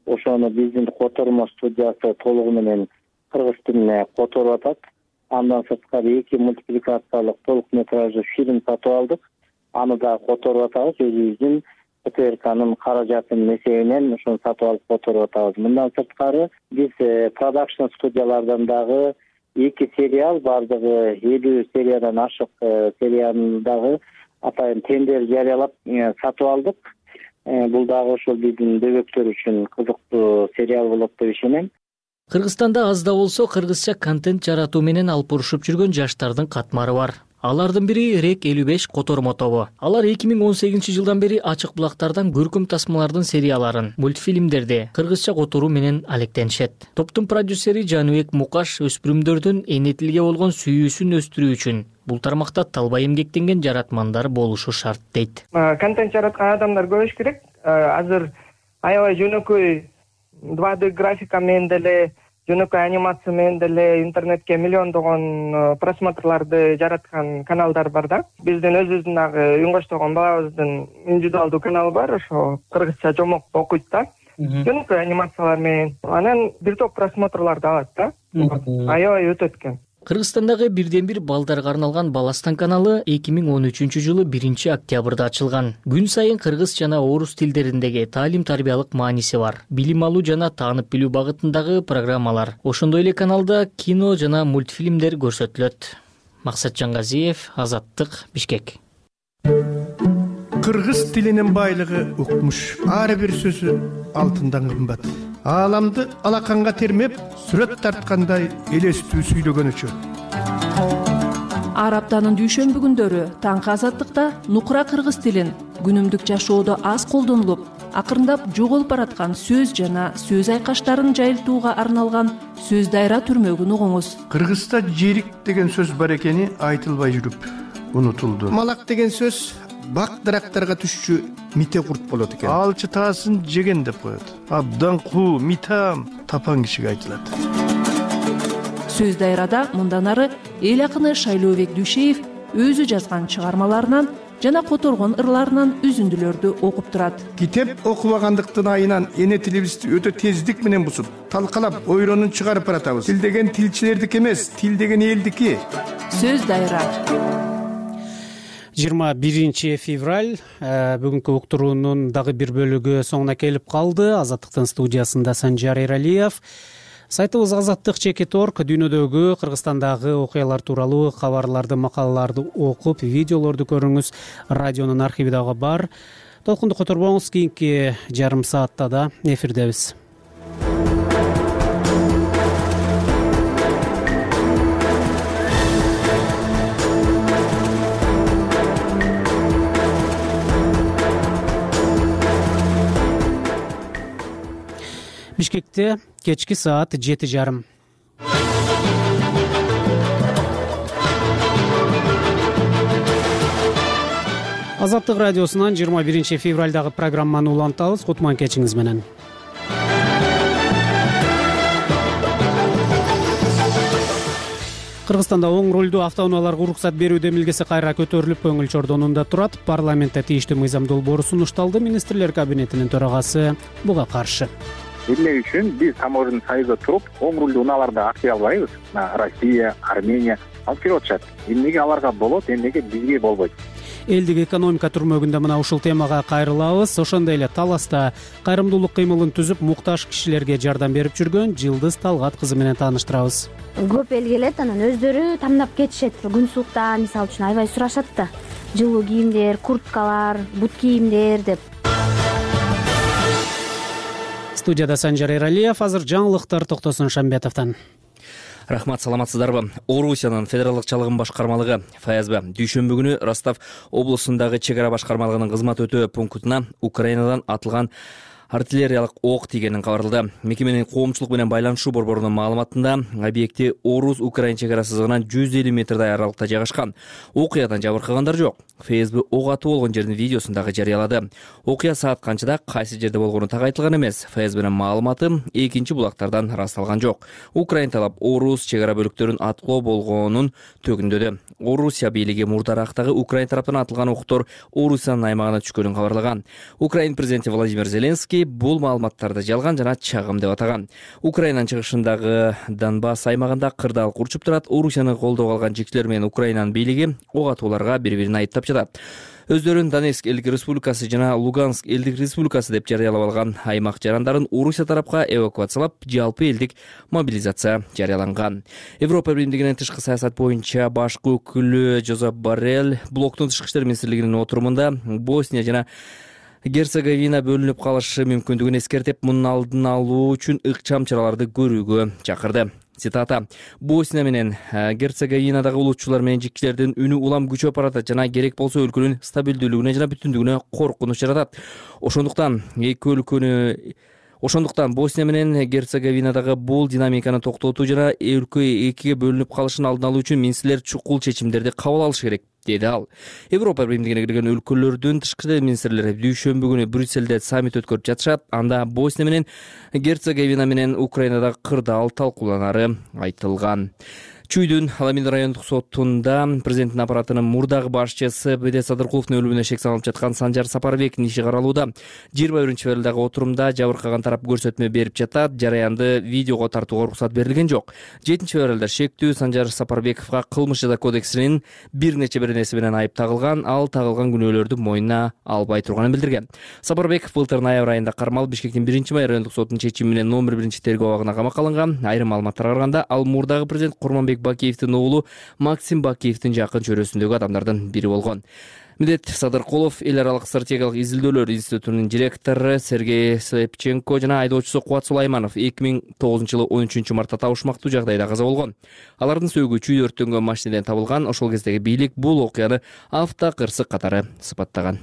Ошону биздин котормо студиясы толугу менен кыргыз тилине которуп атат. Андан сырткары 2 мультипликациялык толук метраждуу фильм сатып алдык. Аны да которуп атабыз. Өзүбүздүн КТРКнын каражатынын эсебинен ошону сатып алып которуп атабыз. Мындан сырткары биз продакшн студиялардан дагы 2 сериал, бардыгы 50 сериядан ашык серияны дагы атайын тендер жарыялап сатып алдык. Бул дагы ошол биздин дөбөктөр үчүн кызыктуу сериал болот деп ишенем. Кыргызстанда аз да болсо кыргызча контент жаратуу менен алпурушуп жүргөн жаштардын катмары бар. Алардын бири Рек 55 котормо тобу. Алар 2018 жылдан бери ачык булактардан көркөм тасмалардын серияларын, мультфильмдерди кыргызча которуу менен алектенишет. Топтун продюсери Жаныбек Мукаш өспүрүмдөрдүн эне тилге болгон сүйүүсүн өстүрүү үчүн бул тармакта талбай эмгектенген жаратмандар болушу шарт дейт. Контент жараткан адамдар көбөйүш керек. Азыр аябай жөнөкөй 2D графика менен деле, жөнөкөй анимация менен деле интернетке миллиондогон просмотрларды жараткан каналдар бар да. Биздин өзүбүздүн дагы үн коштогон балабыздын индивидуалдуу каналы бар, ошо кыргызча жомок окуйт да. Жөнөкөй анимациялар менен анан бир топ просмотрларды алат да. Аябай өтөт экен. Кыргызстандагы бирден бир балдарга арналган Баластан каналы 2013 жылы 1 октябрда ачылган. Күн сайын кыргыз жана орус тилдериндеги таалим-тарбиялык мааниси бар, билим алуу жана таанып билүү багытындагы программалар. Ошондой эле каналда кино жана мультфильмдер көрсөтүлөт. Максат Жангазиев, Азаттык, Бишкек. Кыргыз тилинин байлыгы укмуш. Ар бир сөзү алтындан кымбат. Ааламды алаканга термеп, сүрөт тарткандай элестүү сүйлөгөнүчө. Ар аптанын дүйшөмбү күндөрү таңкы Азаттыкта нукура кыргыз тилин күнүмдүк жашоодо аз колдонулуп, акырындап жоголуп бараткан сөз жана сөз айкаштарын жайылтууга арналган сөз дайра түрмөгүн угуңуз. Кыргызда жерик деген сөз бар экени айтылбай жүрүп унутулду. Малак деген сөз бак дарактарга түшчү мите курт болот экен. Алчы таасын жеген деп коет. Абдан куу, митам. тапан кишиге айтылат. Сөз дайрада мындан ары эл акыны Шайлообек Дүйшеев өзү жазган чыгармаларынан жана которгон ырларынан үзүндүлөрдү окуп турат. Китеп окубагандыктын айынан эне тилибизди өтө тездик менен бузуп, талкалап, ойронун чыгарып баратабыз. Тил деген тилчилердики эмес, тил деген элдики. Сөз дайра. 21 февраль бүгүнкү уктуруунун дагы бир бөлүгү соңуна келип калды. Азаттыктын студиясында Санжар Эралиев. Сайтыбыз Азаттык.org дүйнөдөгү, Кыргызстандагы окуялар тууралуу кабарларды, макалаларды окуп, видеолорду көрүңүз. Радионун архиви дагы бар. Толкунду которбоңуз, кийинки жарым саатта да эфирдебиз. Бишкекте кечки саат 7:30. Азаттык радиосунан 21 февралдагы программаны улантабыз. Кутман кечиңиз менен. Кыргызстанда оң рулдуу автоунааларга уруксат берүү демилгеси кайра көтөрүлүп, көңүл чордонунда турат. Парламентте тийиштүү мыйзам долбоору сунушталды. Министрлер кабинетинин төрагасы буга каршы. Эмне үчүн биз Таможенный союзда туруп, оң рулдуу унааларды актый албайбыз? Россия, Армения алып келип атышат. Эмнеге аларга болот, эмнеге бизге болбойт? Элдик экономика түрмөгүндө мына ушул темага кайрылабыз. Ошондой эле Таласта кайрымдуулук кыймылын түзүп, муктаж кишилерге жардам берип жүргөн Жылдыз Талгат кызы менен тааныштырабыз. Көп эл келет, анан өздөрү тамдап кетишет. Күн суукта, мисалы үчүн аябай сурашат да. Жылуу кийимдер, курткалар, бут кийимдер деп. Студияда Санжар Эралиев. Азыр жаңылыктар Токтосун Шамбетовдон. Рахмат, саламатсыздарбы? Орусиянын федералдык чалыгын башкармалыгы ФСБ дүйшөмбү күнү Ростов облусундагы чек ара башкармалыгынын кызмат өтөө пунктуна Украинадан атылган артиллериялык ок тийгенин кабарлады. Мекеменин коомчулук менен байланышуу борборунун маалыматында объекти Орус-Украин чек ара сызыгынан 150 метрдай аралыкта жайгашкан. Окуядан жабыркагандар жок. ФСБ ок атуу болгон жердин видеосун дагы жарыялады. Окуя саат канчада, кайсы жерде болгону так айтылган эмес. ФСБнин маалыматы экинчи булактардан ырасталган жок. Украин талап Орус чек ара бөлүктөрүн аткылоо болгонун төгүндөдү. Орусия бийлиги мурдарактагы Украин тараптан атылган октор Орусиянын аймагына түшкөнүн кабарлаган. Украин президенти Владимир Зеленский бул маалыматтарды жалган жана чагым деп атаган. Украинанын чыгышындагы Донбасс аймагында кырдаалык урчуп турат. Орусияны колдоого алган жекчилер менен Украинанын бийлиги ок атууларга бири-бирин айыптап жатат. Өздөрүн Донецк элдик республикасы жана Луганск элдик республикасы деп жарыялап алган аймак жарандарын Орусия тарапка эвакуациялап, жалпы элдик мобилизация жарыяланган. Европа Биримдигинин тышкы саясат боюнча башкы өкүлү Жозеп Боррелл блоктун тышкы иштер министрлигинин отурумунда Босния жана Герцеговина бөлүнүп калышы мүмкүндүгүн эскертип, мунун алдын алуу үчүн ыкчам чараларды көрүүгө чакырды. Цитата: Босния менен Герцеговинадагы улутчулар менен жикчилердин үнү улам күчөп баратат жана керек болсо өлкөнүн стабилдүүлүгүнө жана бүтүндүгүнө коркунуч жаратат. Ошондуктан Босния менен Герцеговинадагы бул динамиканы токтотуу жана өлкө экиге бөлүнүп калышын алдын алуу үчүн министрлер чукул чечимдерди кабыл алышы керек, деди ал. Европа Биримдигине кирген өлкөлөрдүн тышкы иштер министрлери дүйшөмбү күнү Брюссельде саммит өткөрүп жатышат. Анда Босния менен Герцеговина менен Украинадагы кырдаал талкууланары айтылган. Чүйдүн Аламин райондук сотунда президенттин аппаратынын мурдагы башчысы Бедет Садыркуловдун өлүмүнө шек салынып жаткан Санжар Сапарбектин иши каралууда. 21 февралдагы отурумда жабыркаган тарап көрсөтмө берип жатат. Жараянды видеого тартууга уруксат берилген жок. 7 февралда шектүү Санжар Сапарбековго кылмыш жаза кодексинин бир нече беренеси менен айып тагылган. Ал тагылган күнөөлөрдү мойнуна албай турганын билдирген. Сапарбеков былтыр ноябрь айында кармалып Бишкектин 1-май райондук сотунун чечими менен номер 1 тергөө абагына камакка алынган. Айрым маалыматтарга караганда, ал мурдагы президент Курманбек Бакиевдин оолу Максим Бакиевдин жакын чөрөсүндөгү адамдардын бири болгон. Медет Садыркулов эл аралык стратегиялык изилдөөлөр институтунун директору Сергей Слепченко жана айдоочусу Кубат Сулайманов 2009-жылы 13-мартта табышмактуу жагдайда каза болгон. Алардын сөөгү чүйдө өрттөнгөн машинеден табылган. Ошол кездеги бийлик бул окуяны автокырсык катары сыпаттаган.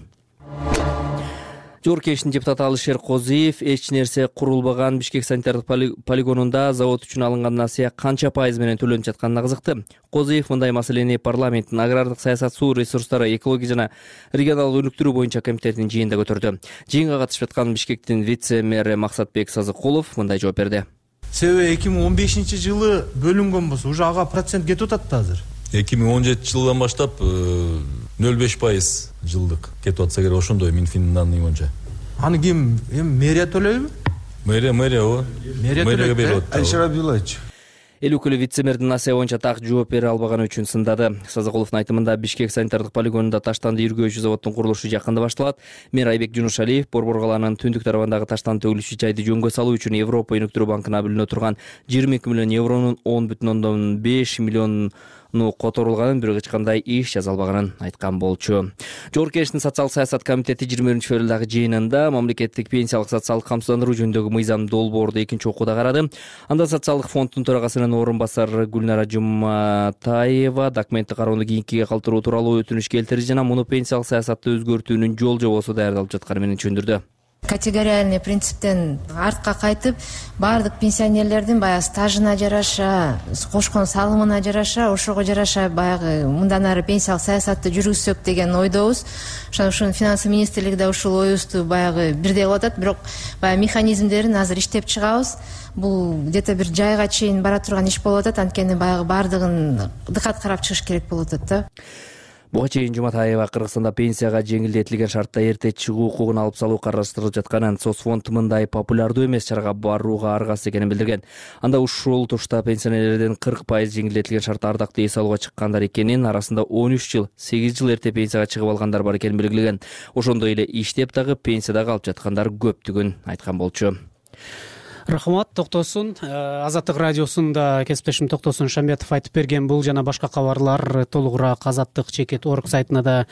Жогорку Кеңештин депутаты Алишер Козиев эч нерсе курулбаган Бишкек санитардык полигонунда завод үчүн алынган насыя канча пайыз менен төлөнүп жатканына кызыкты. Козиев мындай маселени парламенттин агрардык саясат, суу ресурстары, экология жана регионалдык өнүктүрүү боюнча комитетинин жыйынында көтөрдү. Жыйынга катышып жаткан Бишкектин вице-мэри Максатбек Сазыкулов мындай жооп берди. Себеби 2015-жылы бөлүнгөн болсо уже ага процент кетип атат да азыр. 2017-жылдан баштап 0,5% жылдык кетип атса керек, ошондой Минфиндин данные боюнча. Аны ким мэрия төлөйбү? Мэрия ооба. Мэрияга берип атат. Айшара Абдуллаевич. Эл өкүлү вице-мэрдин насыя боюнча так жооп бере албаганы үчүн сындады. Сазакуловдун айтымында Бишкек санитардык полигонунда таштанды иргөөчү заводдун курулушу жакында башталат. Мэр Айбек Жунушалиев Борбор калаанын түндүк тарабындагы таштанды төгүлүшү жайды жөнгө салуу үчүн Европа өнүктүрүү банкына бөлүнө турган 22 миллион евронун 10,5 миллиону которулганын, бирок эч кандай иш жаза албаганын айткан болчу. Жогорку Кеңештин социалдык саясат комитети 21-февралдагы жыйынында мамлекеттик пенсиялык социалдык камсыздандыруу жөнүндөгү мыйзам долбоорду экинчи окууда карады. Анда социалдык фонддун төрагасынын орун басары Гүлнара Жуматаева документти кароону кийинкиге калтыруу тууралуу өтүнүч келтирди жана муну пенсиялык саясатты өзгөртүүнүн жол жобосу даярдалып жатканы менен түшүндүрдү. Категориальный принциптен артка кайтып, баардык пенсионерлердин баягы стажына жараша, кошкон салымына жараша, ошого жараша баягы мындан ары пенсиялык саясатты жүргүзсөк деген ойдобуз. Ошон финансы министрлиги да ушул оюбузду баягы бирдей кылып атат, бирок баягы механизмдерин азыр иштеп чыгабыз. Бул где-то бир жайга чейин бара турган иш болуп атат, анткени баягы баардыгын дыкат карап чыгыш керек болуп атат да. Буга чейин Жуматаева Кыргызстанда пенсияга жеңилдетилген шартта эрте чыгуу укугун алып салуу караштырылып жатканын, соцфонд мындай популярдуу эмес чарага барууга аргасыз экенин билдирген. Анда ушул тушта пенсионерлердин 40% жеңилдетилген шартта ардактуу эс алууга чыккандар экенин, арасында 13 жыл, 8 жыл эрте пенсияга чыгып алгандар бар экенин белгилеген. Ошондой эле иштеп дагы пенсияда калып жаткандар көптүгүн айткан болчу. Рахмат, Токтосун. Азаттык радиосунда кесиптешим Токтосун Шамбетов айтып берген бул жана башка кабарлар толугураак azаттык.org сайтына да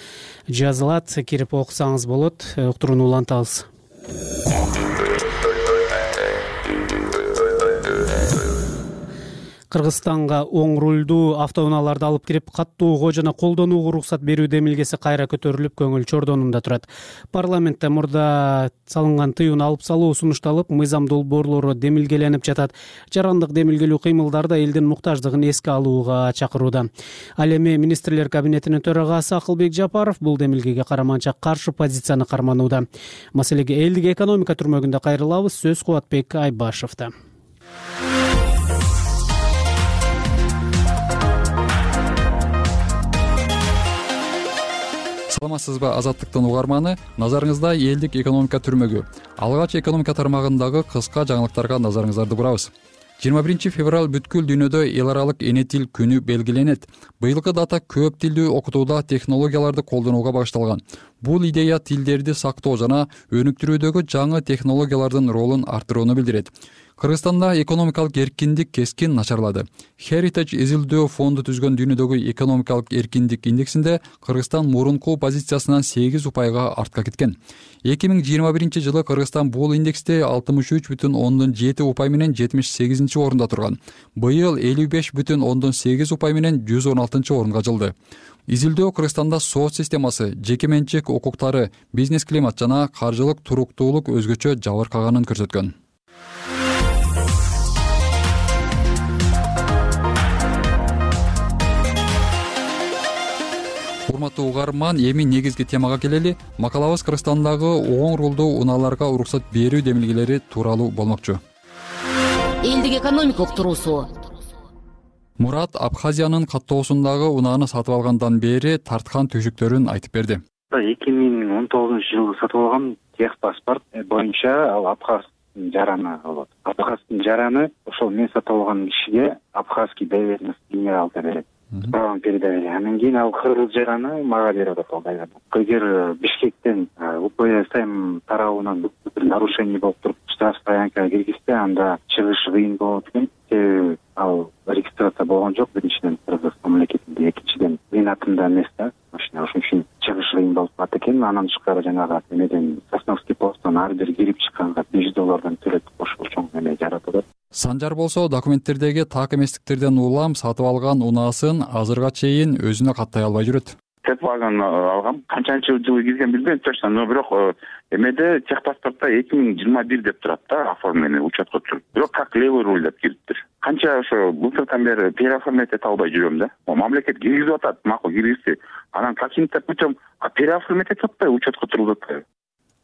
жазылат. Кирип окусаңыз болот. Уктурууну улантабыз. Кыргызстанга оң рулдуу автоунааларды алып кирип каттоого жана колдонууга уруксат берүү демилгеси кайра көтөрүлүп, көңүл чордонунда турат. Парламентте мурда салынган тыюуну алып салуу сунушталып, мыйзам долбоорлору демилгеленип жатат. Жарандык демилгелүү кыймылдар да элдин муктаждыгын эске алууга чакырууда. Ал эми министрлер кабинетинин төрагасы Акылбек Жапаров бул демилгеге караманча каршы позицияны карманууда. Маселеге элдик экономика түрмөгүндө кайрылабыз. Сөз Кубатбек Айбашевда. Саламатсызбы, Азаттыктын угарманы? Назарыңызда элдик экономика түрмөгү. Алгач экономика тармагындагы кыска жаңылыктарга назарыңыздарды бурабыз. 21 февраль бүткүл дүйнөдө эл аралык эне тил күнү белгиленет. Быйылкы дата көп тилдүү окутууда технологияларды колдонууга багышталган. Бул идея тилдерди сактоо жана өнүктүрүүдөгү жаңы технологиялардын ролун арттырууну билдирет. Кыргызстанда экономикалык эркиндик кескин начарлады. Heritage изилдөө фонду түзгөн дүйнөдөгү экономикалык эркиндик индексинде Кыргызстан мурунку позициясынан 8 упайга артка кеткен. 2021 жылы Кыргызстан бул индексте 63,7 упай менен 78 орунда турган. Быйыл 55,8 упай менен 116 орунга жылды. Изилдөө Кыргызстанда соц системасы, жеке менчик укуктары, бизнес климат жана каржылык туруктуулук өзгөчө жабыркаганын көрсөткөн. Урматтуу угарман, эми негизги темага келели. Макалабыз Кыргызстандагы оң рулдуу унааларга уруксат берүү демилгелери тууралуу болмокчу. Элдик экономика уктуруусу. Мурат Абхазиянын каттоосундагы унааны сатып алгандан бери тарткан түйшүктөрүн айтып берди. 2019 жылы сатып алган техпаспорт боюнча ал абхазский жараны болот. Абхазский жараны ошол мен сатып алган кишиге абхазский доверенность генералда берет. Правом передавали. Андан кийин ал кыргыз жараны мага берип атат. Эгер Бишкектен УПС тарабынан нарушение болуп туруп штрафстоянкага киргизсе, анда чыгыш кыйын болот экен. Себеби ал регистрация болгон жок, биринчиден Кыргыз мамлекетинде, экинчиден менин атымда эмес да. Ошон үчүн чыгыш кыйын болуп калат экен. Анан тышкары жанагы эмеден Сосновский посттон ар бир кирип чыкканга $5 төлөп ошол чоң эме жаратып атат. Санжар болсо документтердеги так эместиктерден улам сатып алган унаасын азырга чейин өзүнө каттай албай жүрөт. Техпаспорт алгам, канчанчы жылы кирген билбейм точно, но бирок эмеде техпаспортто 2021 деп турат да, оформление учетко түшүп. Бирок как левый руль деп кириптир. Канча ошо былтырдан бери переоформлять эте албай жүрөм да. Мамлекет киргизип атат, макул киргизди. Анан каким-то путем переоформлять этип атпайбы, учетко тургузуп атпайбы.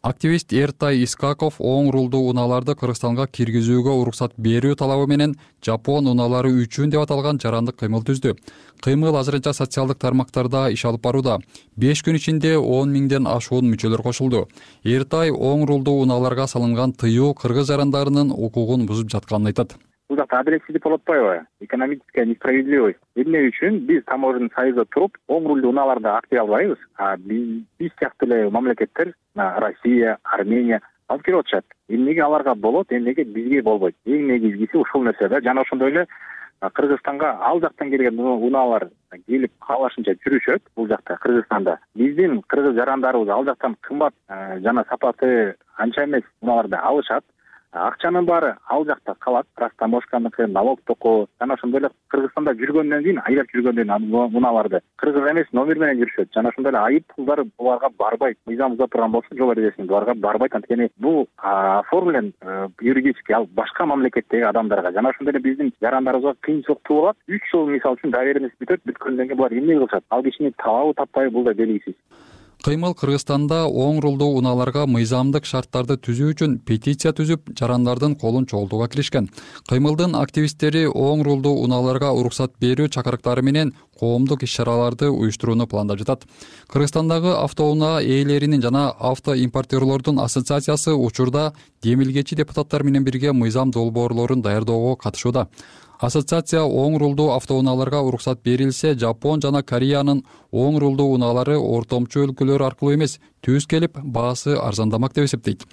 Активист Эртай Искаков оң рулдуу унааларды Кыргызстанга киргизүүгө уруксат берүү талабы менен Жапон унаалары үчүн деп аталган жарандык кыймыл түздү. Кыймыл азырынча социалдык тармактарда иш алып барууда. 5 күн ичинде 10 миңден ашуун мүчөлөр кошулду. Эртай оң рулдуу унааларга салынган тыюу кыргыз жарандарынын укугун бузуп жатканын айтат. Бул жакта адилетсиздик болуп атпайбы? Экономическая несправедливость. Эмне үчүн биз таможенный союзда туруп, оң рулдуу унааларды актив албайбыз, а биз сыяктуу эле мамлекеттер, Россия, Армения алып келип атышат. Эмнеге аларга болот, эмнеге бизге болбойт? Эң негизгиси ушул нерсе да. Жана ошондой эле Кыргызстанга ал жактан келген унаалар келип каалашынча жүрүшөт бул жакта Кыргызстанда. Биздин кыргыз жарандарыбыз ал жактан кымбат жана сапаты анча эмес унааларды алышат. Акчанын баары ал жакта калат, растаможканыкы, налог токоо. Жана ошондой эле Кыргызстанда жүргөндөн кийин, айлап жүргөндөн кийин унааларды кыргыз эмес номер менен жүрүшөт. Жана ошондой эле айып пулдар буларга барбайт. Мыйзам буза турган болсо, жол эрежесин буларга барбайт. Анткени бул оформлен юридически ал башка мамлекеттеги адамдарга. Жана ошондой эле биздин жарандарыбызга кыйынчылык туулат. 3 жыл мисалы үчүн доверенность бүтөт, бүткөндөн кийин булар эмне кылышат? Ал кишини табабы таппайбы, бул да белгисиз. Кыймыл Кыргызстанда оң рулдуу унааларга мыйзамдык шарттарды түзүү үчүн петиция түзүп, жарандардын колун чогултууга киришкен. Кыймылдын активисттери оң рулдуу унааларга уруксат берүү чакырыктары менен коомдук иш-чараларды уюштурууну пландап жатат. Кыргызстандагы автоунаа ээлеринин жана автоимпортерлордун ассоциациясы учурда демилгечи депутаттар менен бирге мыйзам долбоорлорун даярдоого катышууда. Ассоциация оң рулдуу автоунааларга уруксат берилсе, Жапон жана Кореянын оң рулдуу унаалары ортомчу өлкөлөр аркылуу эмес, түз келип, баасы арзандамак деп эсептейт.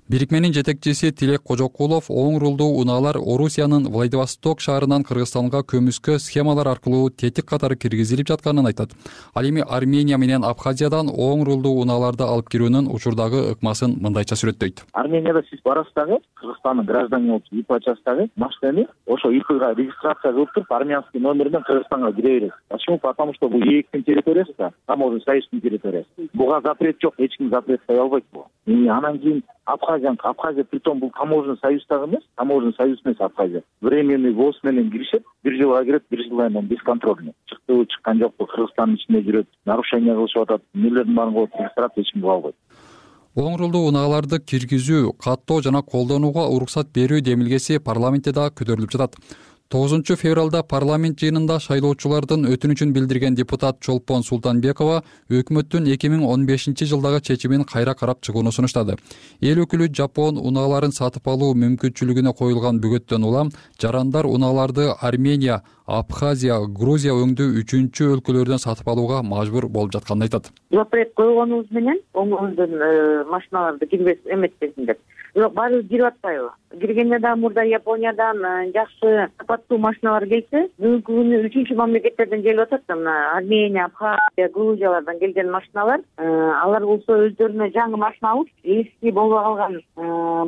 Бирикменин жетекчиси Тилек Кожокулов оң рулдуу унаалар Орусиянын Владивосток шаарынан Кыргызстанга көмүскө схемалар аркылуу тетик катары киргизилип жатканын айтат. Ал эми Армения менен Абхазиядан оң рулдуу унааларды алып кирүүнүн учурдагы ыкмасын мындайча сүрөттөйт. Арменияда сиз барасыз дагы, Кыргызстандын гражданин болуп ИП ачасыз дагы, машинени ошо ИПга регистрация кылып туруп, армянский номер менен Кыргызстанга кире бересиз. Почему? Потому что бул ээктин территориясы да, таможенный союздун территориясы. Буга запрет жок, эч ким запрет кое албайт бул. Анан кийин Абхазия притом бул таможенный союз дагы эмес, таможенный союз эмес Абхазия. Временный ввоз менен киришет, 1 жылга кирет, 1 жылдан кийин бесконтрольный. Чыктыбы, чыккан жокпу, Кыргызстандын ичинде жүрөт, нарушение кылышып атат, эмнелердин баарын кылып регистрация эч ким кыла албайт. Оң рулдуу унааларды киргизүү, каттоо жана колдонууга уруксат берүү демилгеси парламентте да көтөрүлүп жатат. 9 февралда парламент жыйынында шайлоочулардын өтүнүчүн билдирген депутат Чолпон Султанбекова өкмөттүн 2015 жылдагы чечимин кайра карап чыгууну сунуштады. Эл өкүлү Жапон унааларын сатып алуу мүмкүнчүлүгүнө коюлган бөгөттөн улам жарандар унааларды Армения, Абхазия, Грузия өңдүү 3-чү өлкөлөрдөн сатып алууга мажбур болуп жатканын айтат. Запрет койгонубуз менен оңдон машиналарды кирбес эметпесин деп. Бирок баары кирип атпайбы? Киргенде да мурда Япониядан жакшы сапаттуу машиналар келсе, бүгүнкү күнү 3-чү мамлекеттерден келип атат да, мына Армения, Абхазия, Грузиялардан келген машиналар, алар болсо өздөрүнө жаңы машина алып, эски болуп калган,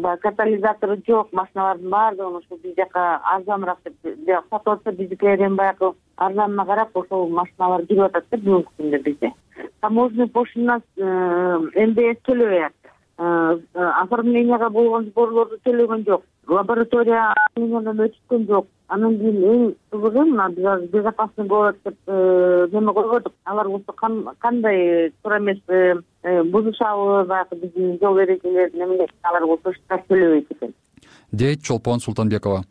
баягы катализатору жок машиналардын баардыгын ошо биз жака арзаныраак деп сатып атса, биздикилерден баягы арзанына карап ошол машиналар кирип атат да бүгүнкү күндө бизде. Таможенный пошлина МДС төлөбөйт. Оформленияга болгон сборлорду төлөгөн жок. Лаборатория өткөн жок. Анан кийин эң кызыгы мына биз безопасный город деп неме койгонбук. Алар болсо кандай туура эмес бузушабы, баягы биздин жол эрежелерин эмне алар болсо штраф төлөбөйт экен, дейт Чолпон Султанбекова.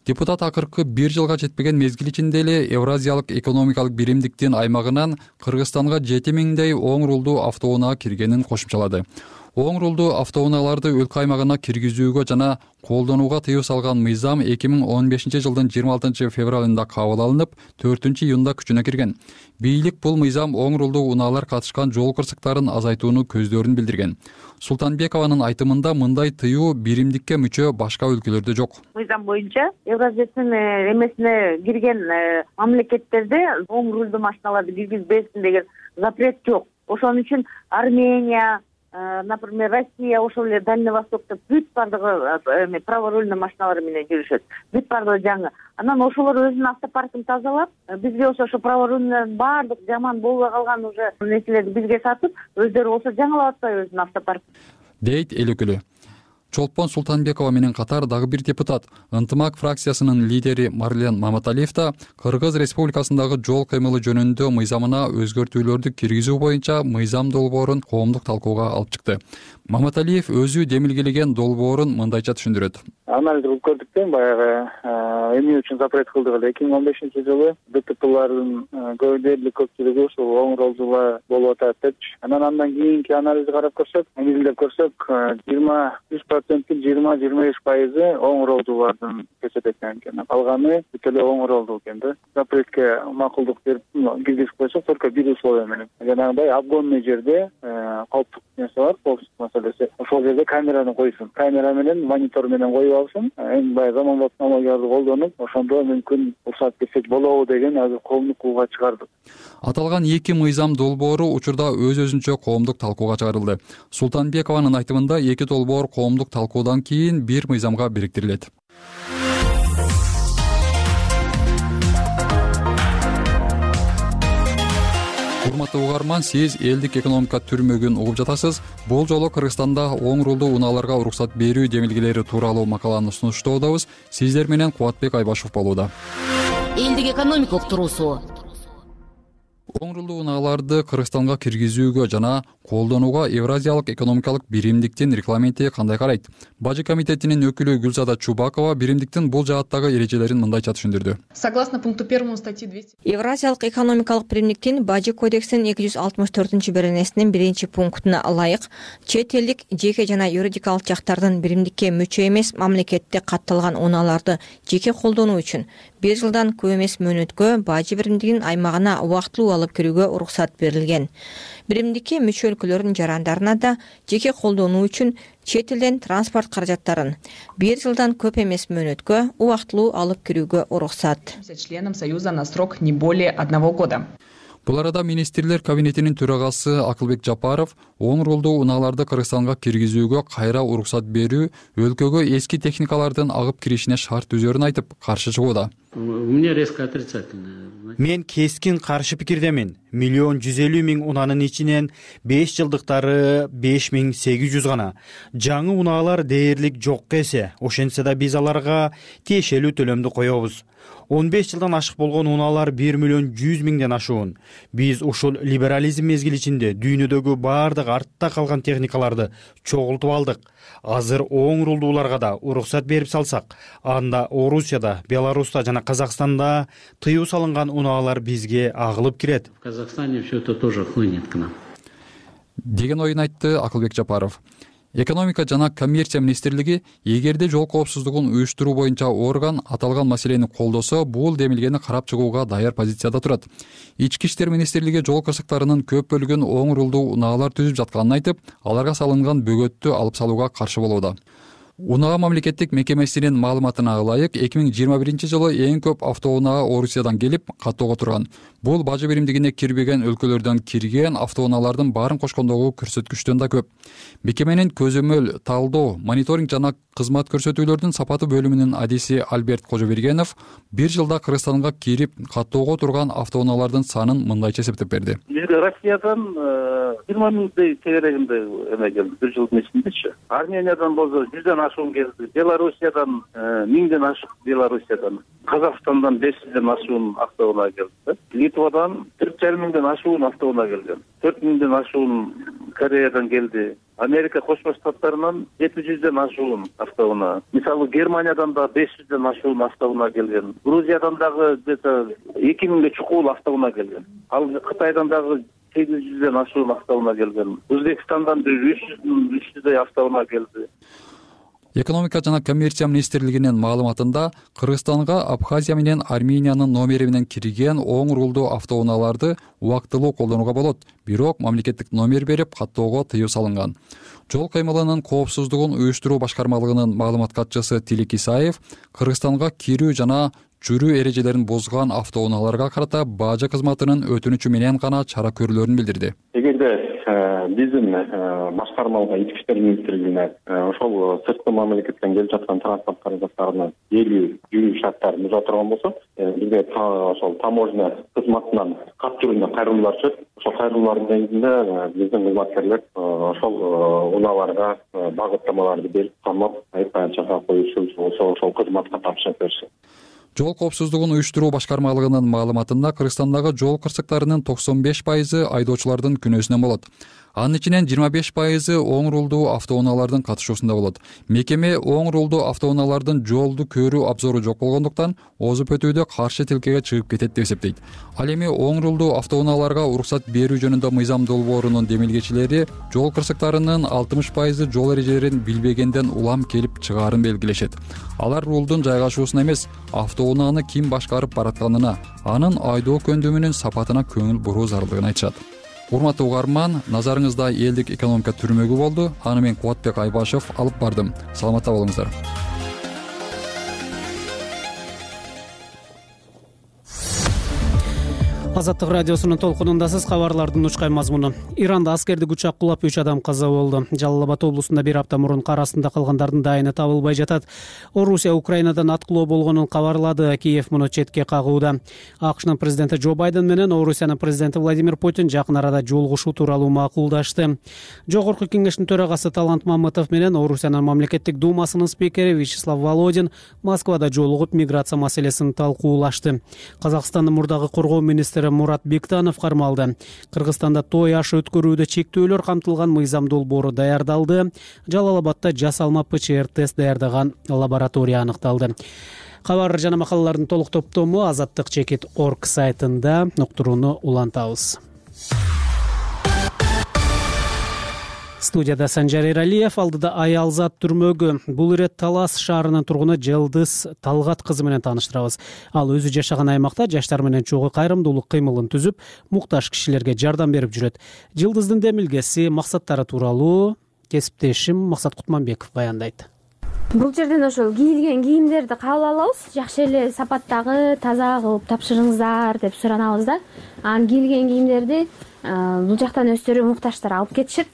Депутат акыркы 1 жылга жетпеген мезгил ичинде эле Евразиялык экономикалык биримдиктин аймагынан Кыргызстанга 7000дей оң рулдуу автоунаа киргенин кошумчалады. Оң рулдуу автоунааларды өлкө аймагына киргизүүгө жана колдонууга тыюу салган мыйзам 2015 жылдын 26 февралында кабыл алынып, 4 июнда күчүнө кирген. Бийлик бул мыйзам оң рулдуу унаалар катышкан жол кырсыктарын азайтууну көздөрүн билдирген. Султанбекованын айтымында мындай тыюу биримдикке мүчө башка өлкөлөрдө жок. Мыйзам боюнча Евразиянын эмесине кирген мамлекеттерде оң рулдуу машиналарды киргизбесин деген запрет жок. Ошон үчүн Армения, например, Россия, ошол эле Дальний Востокто бүт бардыгы праворульный машиналар менен жүрүшөт. Бүт бардыгы жаңы. Анан ошолор өзүнүн автопаркын тазалап, бизге болсо ошо праворульный бардык жаман болбой калган уже нерселерди бизге сатып, өздөрү болсо жаңылап атпайбы өзүнүн автопаркын, дейт эл өкүлү. Чолпон Султанбекова менен катар дагы бир депутат, Ынтымак фракциясынын лидери Марлен Маматалиев да Кыргыз Республикасындагы жол кыймылы жөнүндө мыйзамына өзгөртүүлөрдү киргизүү боюнча мыйзам долбоорун коомдук талкууга алып чыкты. Маматалиев өзү демилгелеген долбоорун мындайча түшүндүрөт. Анализ кылып көрдүктен баягы эмне үчүн запрет кылдык эле 2015-жылы ДТПлардын дээрлик көпчүлүгү ушул оң ролдуулар болуп атат депчи. Анан кийинки анализди карап көрсөк, негизинде көрсөк 20-25% оң ролдуулардын көчөт экен. Калганы бүт эле оң ролдуу экен да. Запретке макулдук берип киргизип койсок, только бир условие менен. Жанагындай обгонный жерде кооптук нерсе бар, коопсуздук маселеси. Ошол жерде камераны койсун. Камера менен, монитор менен коюп алсын. Эң баягы заманбап технологияларды колдонуп, ошондо мүмкүн уруксат берсек болобу деген азыр коомдук кууга чыгардык. Аталган эки мыйзам долбоору учурда өз-өзүнчө коомдук талкууга чыгарылды. Султанбекованын айтымында эки долбоор коомдук талкуудан кийин бир мыйзамга бириктирилет. Урматтуу угарман, сиз элдик экономика түрмөгүн угуп жатасыз. Бул жолу Кыргызстанда оң рулдуу унааларга уруксат берүү демилгелери тууралуу макаланы сунуштоодобуз. Сиздер менен Кубатбек Айбашев болууда. Элдик экономика уктуруусу. Оң рулдуу унааларды Кыргызстанга киргизүүгө жана колдонууга Евразиялык экономикалык биримдиктин регламенти кандай карайт? Бажы комитетинин өкүлү Гүлзада Чубакова биримдиктин бул жааттагы эрежелерин мындайча түшүндүрдү. Согласно пункту 1 статьи 200. Евразиялык экономикалык биримдиктин Бажы кодексинин 264-беренесинин 1-пунктуна ылайык, чет элдик жеке жана юридикалык жактардын биримдикке мүчө эмес мамлекетте катталган унааларды жеке колдонуу үчүн 1 жылдан көп эмес мөөнөткө Бажы биримдигинин аймагына убактылуу алып кирүүгө уруксат берилген. Биримдикке мүчө өлкөлөрдүн жарандарына да жеке колдонуу үчүн чет элден транспорт каражаттарын 1 жылдан көп эмес мөөнөткө убактылуу алып кирүүгө уруксат. Членам Союза на срок не более 1 года. Бул арада министрлер кабинетинин төрагасы Акылбек Жапаров оң рулдуу унааларды Кыргызстанга киргизүүгө кайра уруксат берүү өлкөгө эски техникалардын агып киришине шарт түзөрүн айтып, каршы чыгууда. У меня резко отрицательное. Мен кескин каршы пикирдемин. 1,150,000 унанын ичинен 5 жылдыктары 5800 гана. Жаңы унаалар дээрлик жок эсе. Ошентсе да биз аларга тиешелүү төлөмдү коебуз. 15 жылдан ашык болгон унаалар 1,100,000 ашуун. Биз ушул либерализм мезгили ичинде дүйнөдөгү бардык артта калган техникаларды чогултуп алдык. Азыр оң рулдууларга да уруксат берип салсак, анда Орусияда, Беларуста жана Казакстанда тыюу салынган унаалар бизге агылып кирет. В Казахстане все это тоже хлынет к нам. Деген оюн айтты Акылбек Жапаров. Экономика жана коммерция министрлиги эгерде жол коопсуздугун уюштуруу боюнча орган аталган маселени колдосо, бул демилгени карап чыгууга даяр позицияда турат. Ички иштер министрлиги жол кырсыктарынын көп бөлүгүн оң рулдуу унаалар түзүп жатканын айтып, аларга салынган бөгөттү алып салууга каршы болууда. Унаа мамлекеттик мекемесинин маалыматына ылайык 2021-жылы эң көп автоунаа Орусиядан келип каттоого турган. Бул Бажы биримдигине кирбеген өлкөлөрдөн кирген автоунаалардын баарын кошкондогу көрсөткүчтөн да көп. Мекеменин көзөмөл, талдоо, мониторинг жана кызмат көрсөтүүлөрдүн сапаты бөлүмүнүн адиси Альберт Кожобергенов 1 жылда Кыргызстанга кирип каттоого турган автоунаалардын санын мындайча эсептеп берди. Бизге Россиядан 20,000 тегерегинде эме келди 1 жылдын ичиндечи. Армениядан болсо 100дөн ашуун келди. Белоруссиядан 1000ден ашык Белоруссиядан. Казакстандан 500ден ашуун автоунаа келди. Литвадан 4,500ден ашуун автоунаа келген. 4,000ден ашуун Кореядан келди. Америка Кошмо Штаттарынан 700ден ашуун автоунаа. Мисалы Германиядан да 500ден ашуун автоунаа келген. Грузиядан дагы где-то 2000ге чукул автоунаа келген. Ал Кытайдан дагы 800ден ашуун автоунаа келген. Өзбекстандан 300дей автоунаа келди. Экономика жана коммерция министрлигинин маалыматында Кыргызстанга Абхазия менен Армениянын номери менен кирген оң рулдуу автоунааларды убактылуу колдонууга болот, бирок мамлекеттик номер берип каттоого тыюу салынган. Жол кыймылынын коопсуздугун уюштуруу башкармалыгынын маалымат катчысы Тилек Исаев Кыргызстанга кирүү жана жүрүү эрежелерин бузган автоунааларга карата бажы кызматынын өтүнүчү менен гана чара көрүүлөрүн билдирди. Эгерде биздин башкармалык ички иштер министрлигине ошол сырткы мамлекеттен келип жаткан транспорт каражаттарына жүрүү шарттарын буза турган болсо, бизге ошол таможня кызматынан кат түрүндө кайрылуулар түшөт. ошол кайрылуулардын негизинде биздин кызматкерлер ошол унааларга багыттамаларды берип камап аянтчага коюшу ошол кызматка тапшырып беришет. Жол коопсуздугун уюштуруу башкармалыгынын маалыматында Кыргызстандагы жол кырсыктарынын 95% айдоочулардын күнөөсүнөн болот. Анын ичинен 25% оң рулдуу автоунаалардын катышуусунда болот. Мекеме оң рулдуу автоунаалардын жолду көрүү абзору жок болгондуктан озуп өтүүдө каршы тилкеге чыгып кетет деп эсептейт. Ал эми оң рулдуу автоунааларга уруксат берүү жөнүндө мыйзам долбоорунун демилгечилери жол кырсыктарынын 60% жол эрежелерин билбегенден улам келип чыгаарын белгилешет. Алар рулдун жайгашуусуна эмес, автоунааны ким башкарып баратканына, анын айдоо көндүмүнүн сапатына көңүл буруу зарылдыгын айтышат. Урматтуу угарман, назарыңызда элдик экономика түрмөгү болду. Аны мен Кубатбек Айбашев алып бардым. Саламатта болуңуздар. Азаттык радиосунун толкунундасыз. Кабарлардын учкай мазмуну. Иранда аскердик учак кулап 3 адам каза болду. Жалал Абад облусунда бир апта мурун кар астында калгандардын дайыны табылбай жатат. Орусия Украинадан аткылоо болгонун кабарлады. Киев муну четке кагууда. АКШнын президенти Джо Байден менен Орусиянын президенти Владимир Путин жакын арада жолугушуу тууралуу макулдашты. Жогорку кеңештин төрагасы Талант Мамытов менен Орусиянын мамлекеттик думасынын спикери Вячеслав Володин Москвада жолугуп миграция маселесин талкуулашты. Казакстандын мурдагы коргоо министри Мурат Бектанов кармалды. Кыргызстанда той ашы өткөрүүдө чектөөлөр камтылган мыйзам долбоору даярдалды. Жалал Абадда жасалма ПЧР тест даярдаган лаборатория аныкталды. Кабар жана макалалардын толук топтому azattik.org сайтында уктурууну улантабыз. Студияда Санжар Эралиев, алдыда Аялзат түрмөгү. Бул ирет Талас шаарынын тургуну Жылдыз Талгат кызы менен тааныштырабыз. Ал өзү жашаган аймакта жаштар менен чогуу кайрымдуулук кыймылын түзүп, муктаж кишилерге жардам берип жүрөт. Жылдыздын демилгеси, максаттары тууралуу кесиптешим Максат Кутманбеков баяндайт. Бул жерден ошол кийилген кийимдерди кабыл алабыз. Жакшы эле сапаттагы, таза кылып тапшырыңыздар деп суранабыз да. Анан кийилген кийимдерди бул жактан өздөрү муктаждар алып кетишет.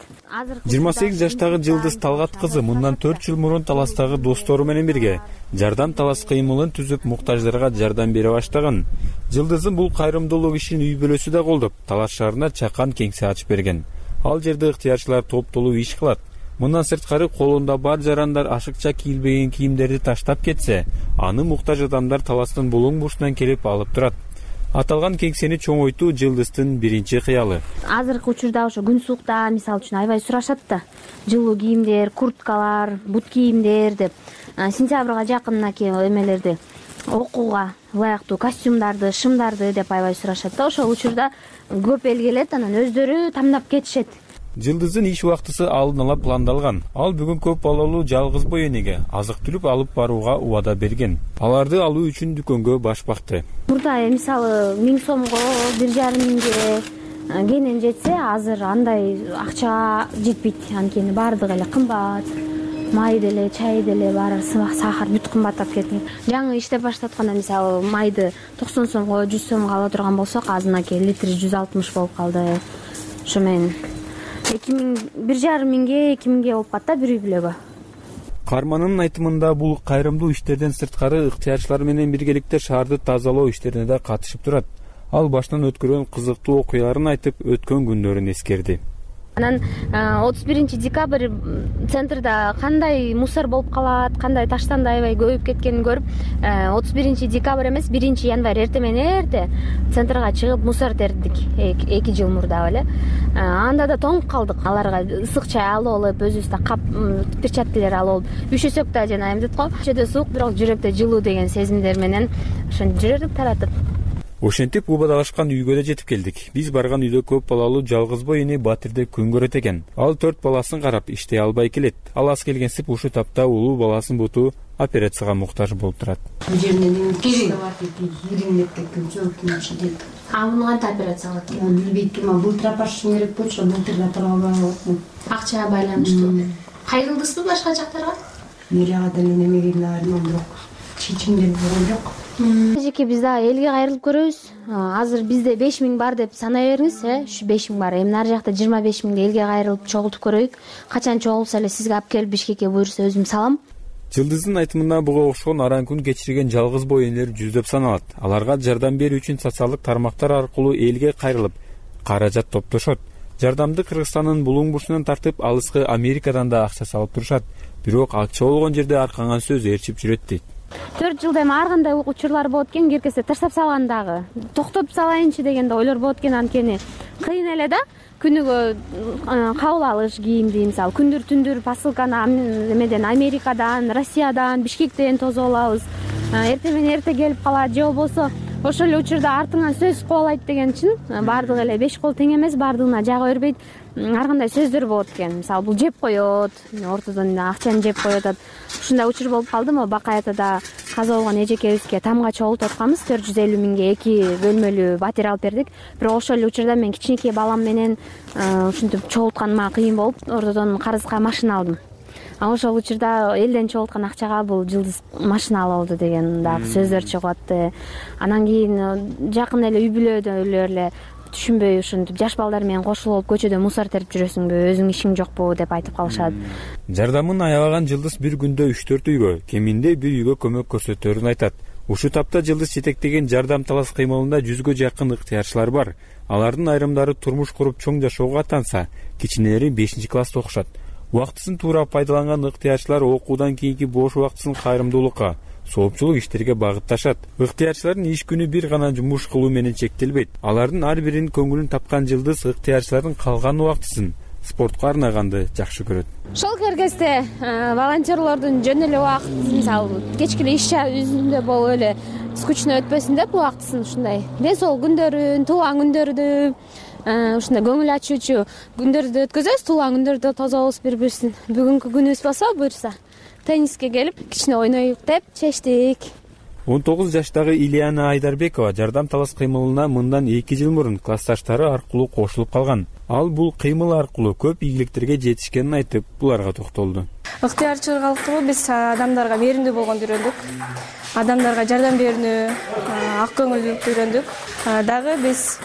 28 жаштагы Жылдыз Талгат кызы мындан 4 жыл мурун Таластагы достору менен бирге жардам Талас кыймылын түзүп, муктаждарга жардам бере баштаган. Жылдыздын бул кайрымдуулук ишин үй бүлөсү да колдоп, Талас шаарына чакан кеңсе ачып берген. Ал жерде ыктыярчылар топтолуу иш кылат. Мындан сырткары колунда бар жарандар ашыкча кийилбеген кийимдерди таштап кетсе, аны муктаж адамдар Таластын булуң бурчунан келип алып турат. Аталган кеңсени чоңойтуу Жылдыздын биринчи кыялы. Азыркы учурда ошо күн суукта мисалы үчүн аябай сурашат да. Жылуу кийимдер, курткалар, бут кийимдер деп. Сентябрга жакынынаки эмелерди, окууга ылайыктуу костюмдарды, шымдарды деп аябай сурашат да. Ошол учурда көп эл келет, анан өздөрү тандап кетишет. Жылдыздын иш убактысы алдын ала пландалган. Ал бүгүн көп балалуу жалгыз бой энеге азык-түлүк алып барууга убада берген. Аларды алуу үчүн дүкөнгө баш бакты. Мурда мисалы 1000 сомго, 1,5 миңге кенен жетсе, азыр андай акча жетпейт. Анткени баардыгы эле кымбат. Май деле, чай деле, баары сахар бүт кымбаттап кетти. Жаңы иштеп баштатканда мисалы майды 90 сомго, 100 сомго ала турган болсок, азырынакы литри 160 болуп калды. Ошо менен 1,5 миңге, 2 миңге болуп калат да бир үй бүлөгө. Карманын айтымында бул кайрымдуу иштерден сырткары ыктыярчылар менен биргеликте шаарды тазалоо иштерине да катышып турат. Ал башынан өткөргөн кызыктуу окуяларын айтып, өткөн күндөрүн эскерди. Анан 31 декабрь центрда кандай мусор болуп калат, кандай таштанды аябай көбөйүп кеткенин көрүп, 31 декабрь эмес 1 январь эрте менен эрте центрга чыгып мусор тердик 2 жыл мурда эле. Анда да тоңуп калдык. Аларга ысык чай алып алып, өзүбүздө кап перчаткалар алып алып, üşөсөк да жана эмдет го, ичеде суук, бирок жүрөктө жылуу деген сезимдер менен ошо жүрдүк таратып. Ошентип убадалашкан үйгө да жетип келдик. Биз барган үйдө көп балалуу жалгыз бой эне Батирде күн көрөт экен. Ал 4 баласын карап иштей албай келет. Ал аз келгенсип ушул тапта улуу баласынын буту операцияга муктаж болуп турат. Бул жеринен киринеп кеткен жол. Муну кантип операция кылат? Билбейт ким, былтыр апарышым керек болчу, былтыр да тура албай калдым. Акчага байланыштуу. Кайрылдыңызбы башка жактарга? Мэрияга деле немегендер, бирок чечимдер болгон жок. Эжеке биз да элге кайрылып көрөбүз. Азыр бизде 5 миң бар деп санай бериңиз, ушу 5 миң бар. Эми нары жакта 25 миңде элге кайрылып чогултуп көрөйүк. Качан чогулса эле сизге алып келип Бишкекке буйрса өзүм салам. Жылдыздын айтымында буга окшогон аран күн кечирген жалгыз бой энелер жүздөп саналат. Аларга жардам берүү үчүн социалдык тармактар аркылуу элге кайрылып, каражат топтошот. Жардамды Кыргызстандын булуң бурчунан тартып, алыскы Америкадан да акча салып турушат. Бирок акча болгон жерде аркаңан сөз ээрчип жүрөт дейт. 4 жылда эми ар кандай учурлар болот экен, киркесе таштап салган дагы. Токтотуп салайынчы деген да ойлор болот экен, анткени кыйын эле да. Күнүгө кабыл алыш кийимди, мисалы күндүр түндүр посылканы эмеден, Америкадан, Россиядан, Бишкектен тосуп алабыз. Эртең менен эрте келип калат, же болбосо ошол эле учурда артыңан сөз кубалайт деген үчүн баардыгы эле 5 кол тең эмес, баардыгына жага бербейт. Ар кандай сөздөр болот экен. Мисалы бул жеп коет, ортодон акчаны жеп коюп атат. Ушундай учур болуп калды. Могу Бакай атада каза болгон эжекебизге тамга чогултуп атканбыз, 450 миңге 2 бөлмөлүү батир алып бердик. Бирок ошол эле учурда мен кичинекей балам менен ушинтип чогултканыма кыйын болуп, ортодон карызга машина алдым. Ошол учурда элден чогулткан акчага бул Жылдыз машина алып алды деген дагы сөздөр чыгып атты. Анан кийин жакын эле үй бүлөдөлөр эле түшүнбөй ушинтип жаш балдар менен кошулуп көчөдө мусор терип жүрөсүңбү, өзүң ишиң жокпу деп айтып калышат. Жардамын аябаган Жылдыз бир күндө 3-4 үйгө, кеминде бир үйгө көмөк көрсөтөрүн айтат. Ушул тапта Жылдыз жетектеген жардам талас кыймылында 100гө жакын ыктыярчылар бар. Алардын айрымдары турмуш куруп чоң жашоого аттанса, кичинелери 5-класста окушат. Убактысын туура пайдаланган ыктыярчылар окуудан кийинки бош убактысын кайрымдуулукка, соопчулук иштерге багытташат. Ыктыярчылардын иш күнү бир гана жумуш кылуу менен чектелбейт. Алардын ар биринин көңүлүн тапкан Жылдыз ыктыярчылардын калган убактысын спортко арнаганды жакшы көрөт. Ошол кезде волонтерлордун жөн эле убакыт, мисалы кечки иш үзүндө болуп эле скучно өтпөсүн деп убактысын ушундай ден соолук күндөрүн, туулган күндөрдү, ушундай көңүл ачуучу күндөрдү өткөзөбүз. Туулган күндөрдө тособуз бири-бирибиздин. Бүгүнкү күнүбүз болсо буюрса тенниске келип кичине ойноюк деп чечтик. 19 жаштагы Ильяна Айдарбекова жардам талас кыймылына мындан 2 жыл мурун классташтары аркылуу кошулуп калган. Ал бул кыймыл аркылуу көп ийгиликтерге жетишкенин айтып, буларга токтолду. Ыктыярчылык биз адамдарга мээримдүү болгонду үйрөндүк. Адамдарга жардам берүүнү, ак көңүлдүүлүктү үйрөндүк. Дагы биз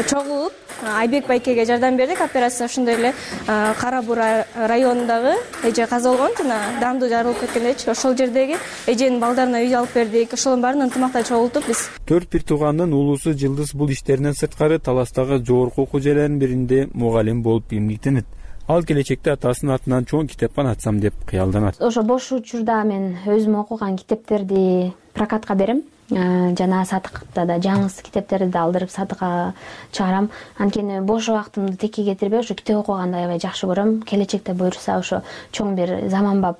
чогулуп Айбек байкеге жардам бердик. Операция ошондой эле Кара Буура районундагы эже каза болгон, жана даамдуу жарылып кеткендечи. Ошол жердеги эженин балдарына үй алып бердик. Ошолордун баарын ынтымакта чогултуп биз 4 бир туугандын улуусу Жылдыз бул иштеринен сырткары таластагы жогорку окуу жайларынын биринде мугалим болуп эмгектенет. Ал келечекте атасынын атынан чоң китепкана ачсам деп кыялданат. Ошо бош учурда мен өзүм окуган китептерди прокатка берем. Жана сатыкта да жаңы китептерди да алдырып сатыкка чыгарам. Анткени бош убактымды текке кетирбей, ошо китеп окуганды аябай жакшы көрөм. Келечекте буюрса ошо чоң бир заманбап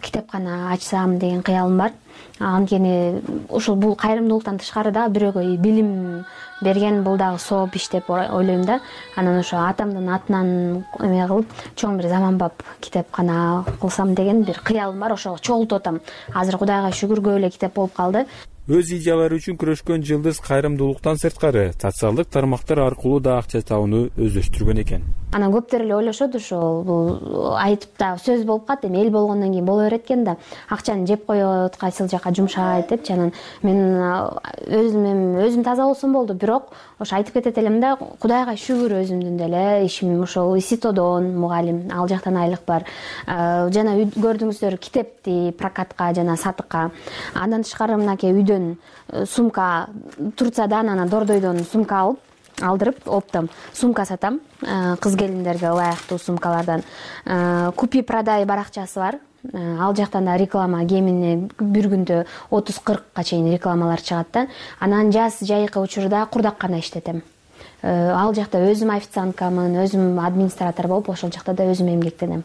китепкана ачсам деген кыялым бар. Анткени ушул бул кайрымдуулуктан тышкары да бирөөгө билим берген бул дагы сооп иш деп ойлойм да. Анан ошо атамдын атынан эме кылып чоң бир заманбап китепкана кылсам деген бир кыялым бар. Ошого чогултуп атам. Азыр Кудайга шүгүр көп эле китеп болуп калды. Өз идеялары үчүн күрөшкөн Жылдыз кайрымдуулуктан сырткары социалдык тармактар аркылуу да акча табууну өздөштүргөн экен. Анан көптөр эле ойлошот, ошол бул айтып да сөз болуп калат, эми эл болгондон кийин боло берет экен да. Акчаны жеп коет, кайсыл жака жумшайт депчи. Анан мен өзүм таза болсом болду, бирок ошо айтып кетет элем да, Кудайга шүгүр өзүмдүн деле ишим ошол ИСИТОдон мугалим, ал жактан айлык бар. Жана көрдүңүздөр китепти прокатка жана сатыкка. Андан тышкары мынакей үйдөн сумка Турциядан, анан Дордойдон сумка алып алдырып оптом сумка сатам. Кыз келиндерге ылайыктуу сумкалардан. Купи продай баракчасы бар. Ал жактан да реклама кемине бир күндө 30-40ка чейин рекламалар чыгат да. Анан жаз жайкы учурда курдаккана иштетем. Ал жакта өзүм официанткамын, өзүм администратор болуп, ошол жакта да өзүм эмгектенем.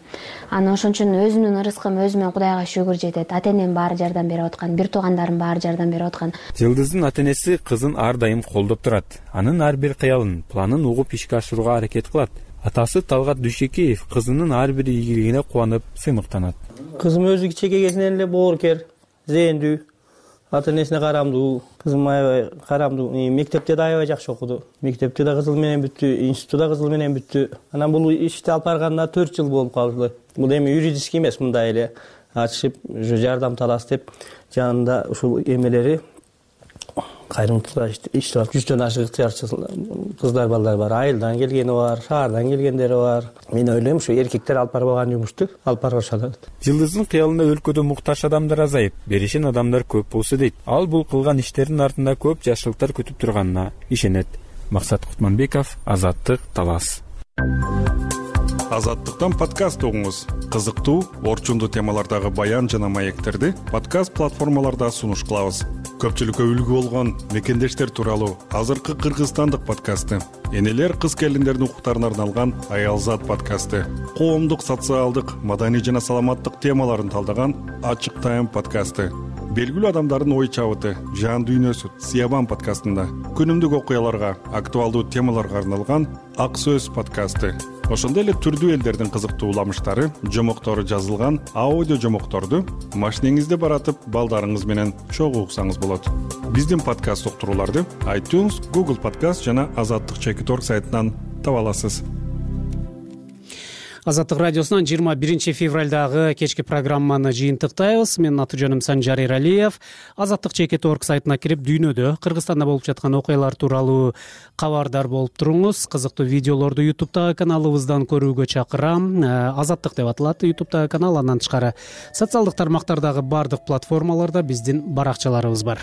Анан ошон үчүн өзүмдүн ырыскым өзүмө Кудайга шүгүр жетет. Ата-энем баары жардам берип аткан, бир туугандарым баары жардам берип аткан. Жылдыздын ата-энеси кызын ар дайым колдоп турат. Анын ар бир кыялын, планын угуп ишке ашырууга аракет кылат. Атасы Талгат Дүйшекеев кызынын ар бир ийгилигине кубанып, сыймыктанат. Кызым өзү кичинекей кезинен эле боорукер, зээндүү, ата-энесине карамдуу. Кызым аябай карамдуу. Мектепте да аябай жакшы окуду. Мектепте да кызыл менен бүттү, институтта да кызыл менен бүттү. Анан бул ишти алып барганда 4 жыл болуп калды. Бул эми юридический эмес, мындай эле ачышып, жардам талас деп жанында ушул эмелери кайрымдуулукта иштеп 100дөн ашык ыктыярчы кыздар балдар бар. Айылдан келгени бар, шаардан келгендери бар. Мен ойлойм, ушу эркектер алып барбаган жумушту алып барышат. Жылдыздын кыялында өлкөдө муктаж адамдар азайып, беришен адамдар көп болсо дейт. Ал бул кылган иштердин артында көп жакшылыктар күтүп турганына ишенет. Максат Кутманбеков, Азаттык, Талас. Азаттыктан подкаст угуңуз. Кызыктуу, орчундуу темалардагы баян жана маектерди подкаст платформаларда сунуш кылабыз. Көпчүлүккө үлгү болгон мекендештер тууралуу азыркы кыргызстандык подкасты, энелер кыз келиндердин укуктарына арналган Аялзат подкасты, коомдук, социалдык, маданий жана саламаттык темаларын талдаган Ачык Тайм подкасты, белгилүү адамдардын ой чабыты, жан дүйнөсү Сиябан подкастында, күнүмдүк окуяларга, актуалдуу темаларга арналган Ак сөз подкасты, ошондой эле түрдүү элдердин кызыктуу уламыштары, жомоктору жазылган аудио жомокторду машинеңизде баратып балдарыңыз менен чогуу уксаңыз болот. Биздин подкаст уктурууларды iTunes, Google Podcast жана Азаттык.org сайтынан таба аласыз. Азаттык радиосунан 21 февралдагы кечки программаны жыйынтыктайбыз. Менин аты жөнүм Санжар Эралиев. Азаттык.org сайтына кирип, дүйнөдө, Кыргызстанда болуп жаткан окуялар тууралуу кабардар болуп туруңуз. Кызыктуу видеолорду YouTube'дагы каналыбыздан көрүүгө чакырам. Азаттык деп аталат YouTube'дагы канал. Андан тышкары социалдык тармактардагы бардык платформаларда биздин баракчаларыбыз бар.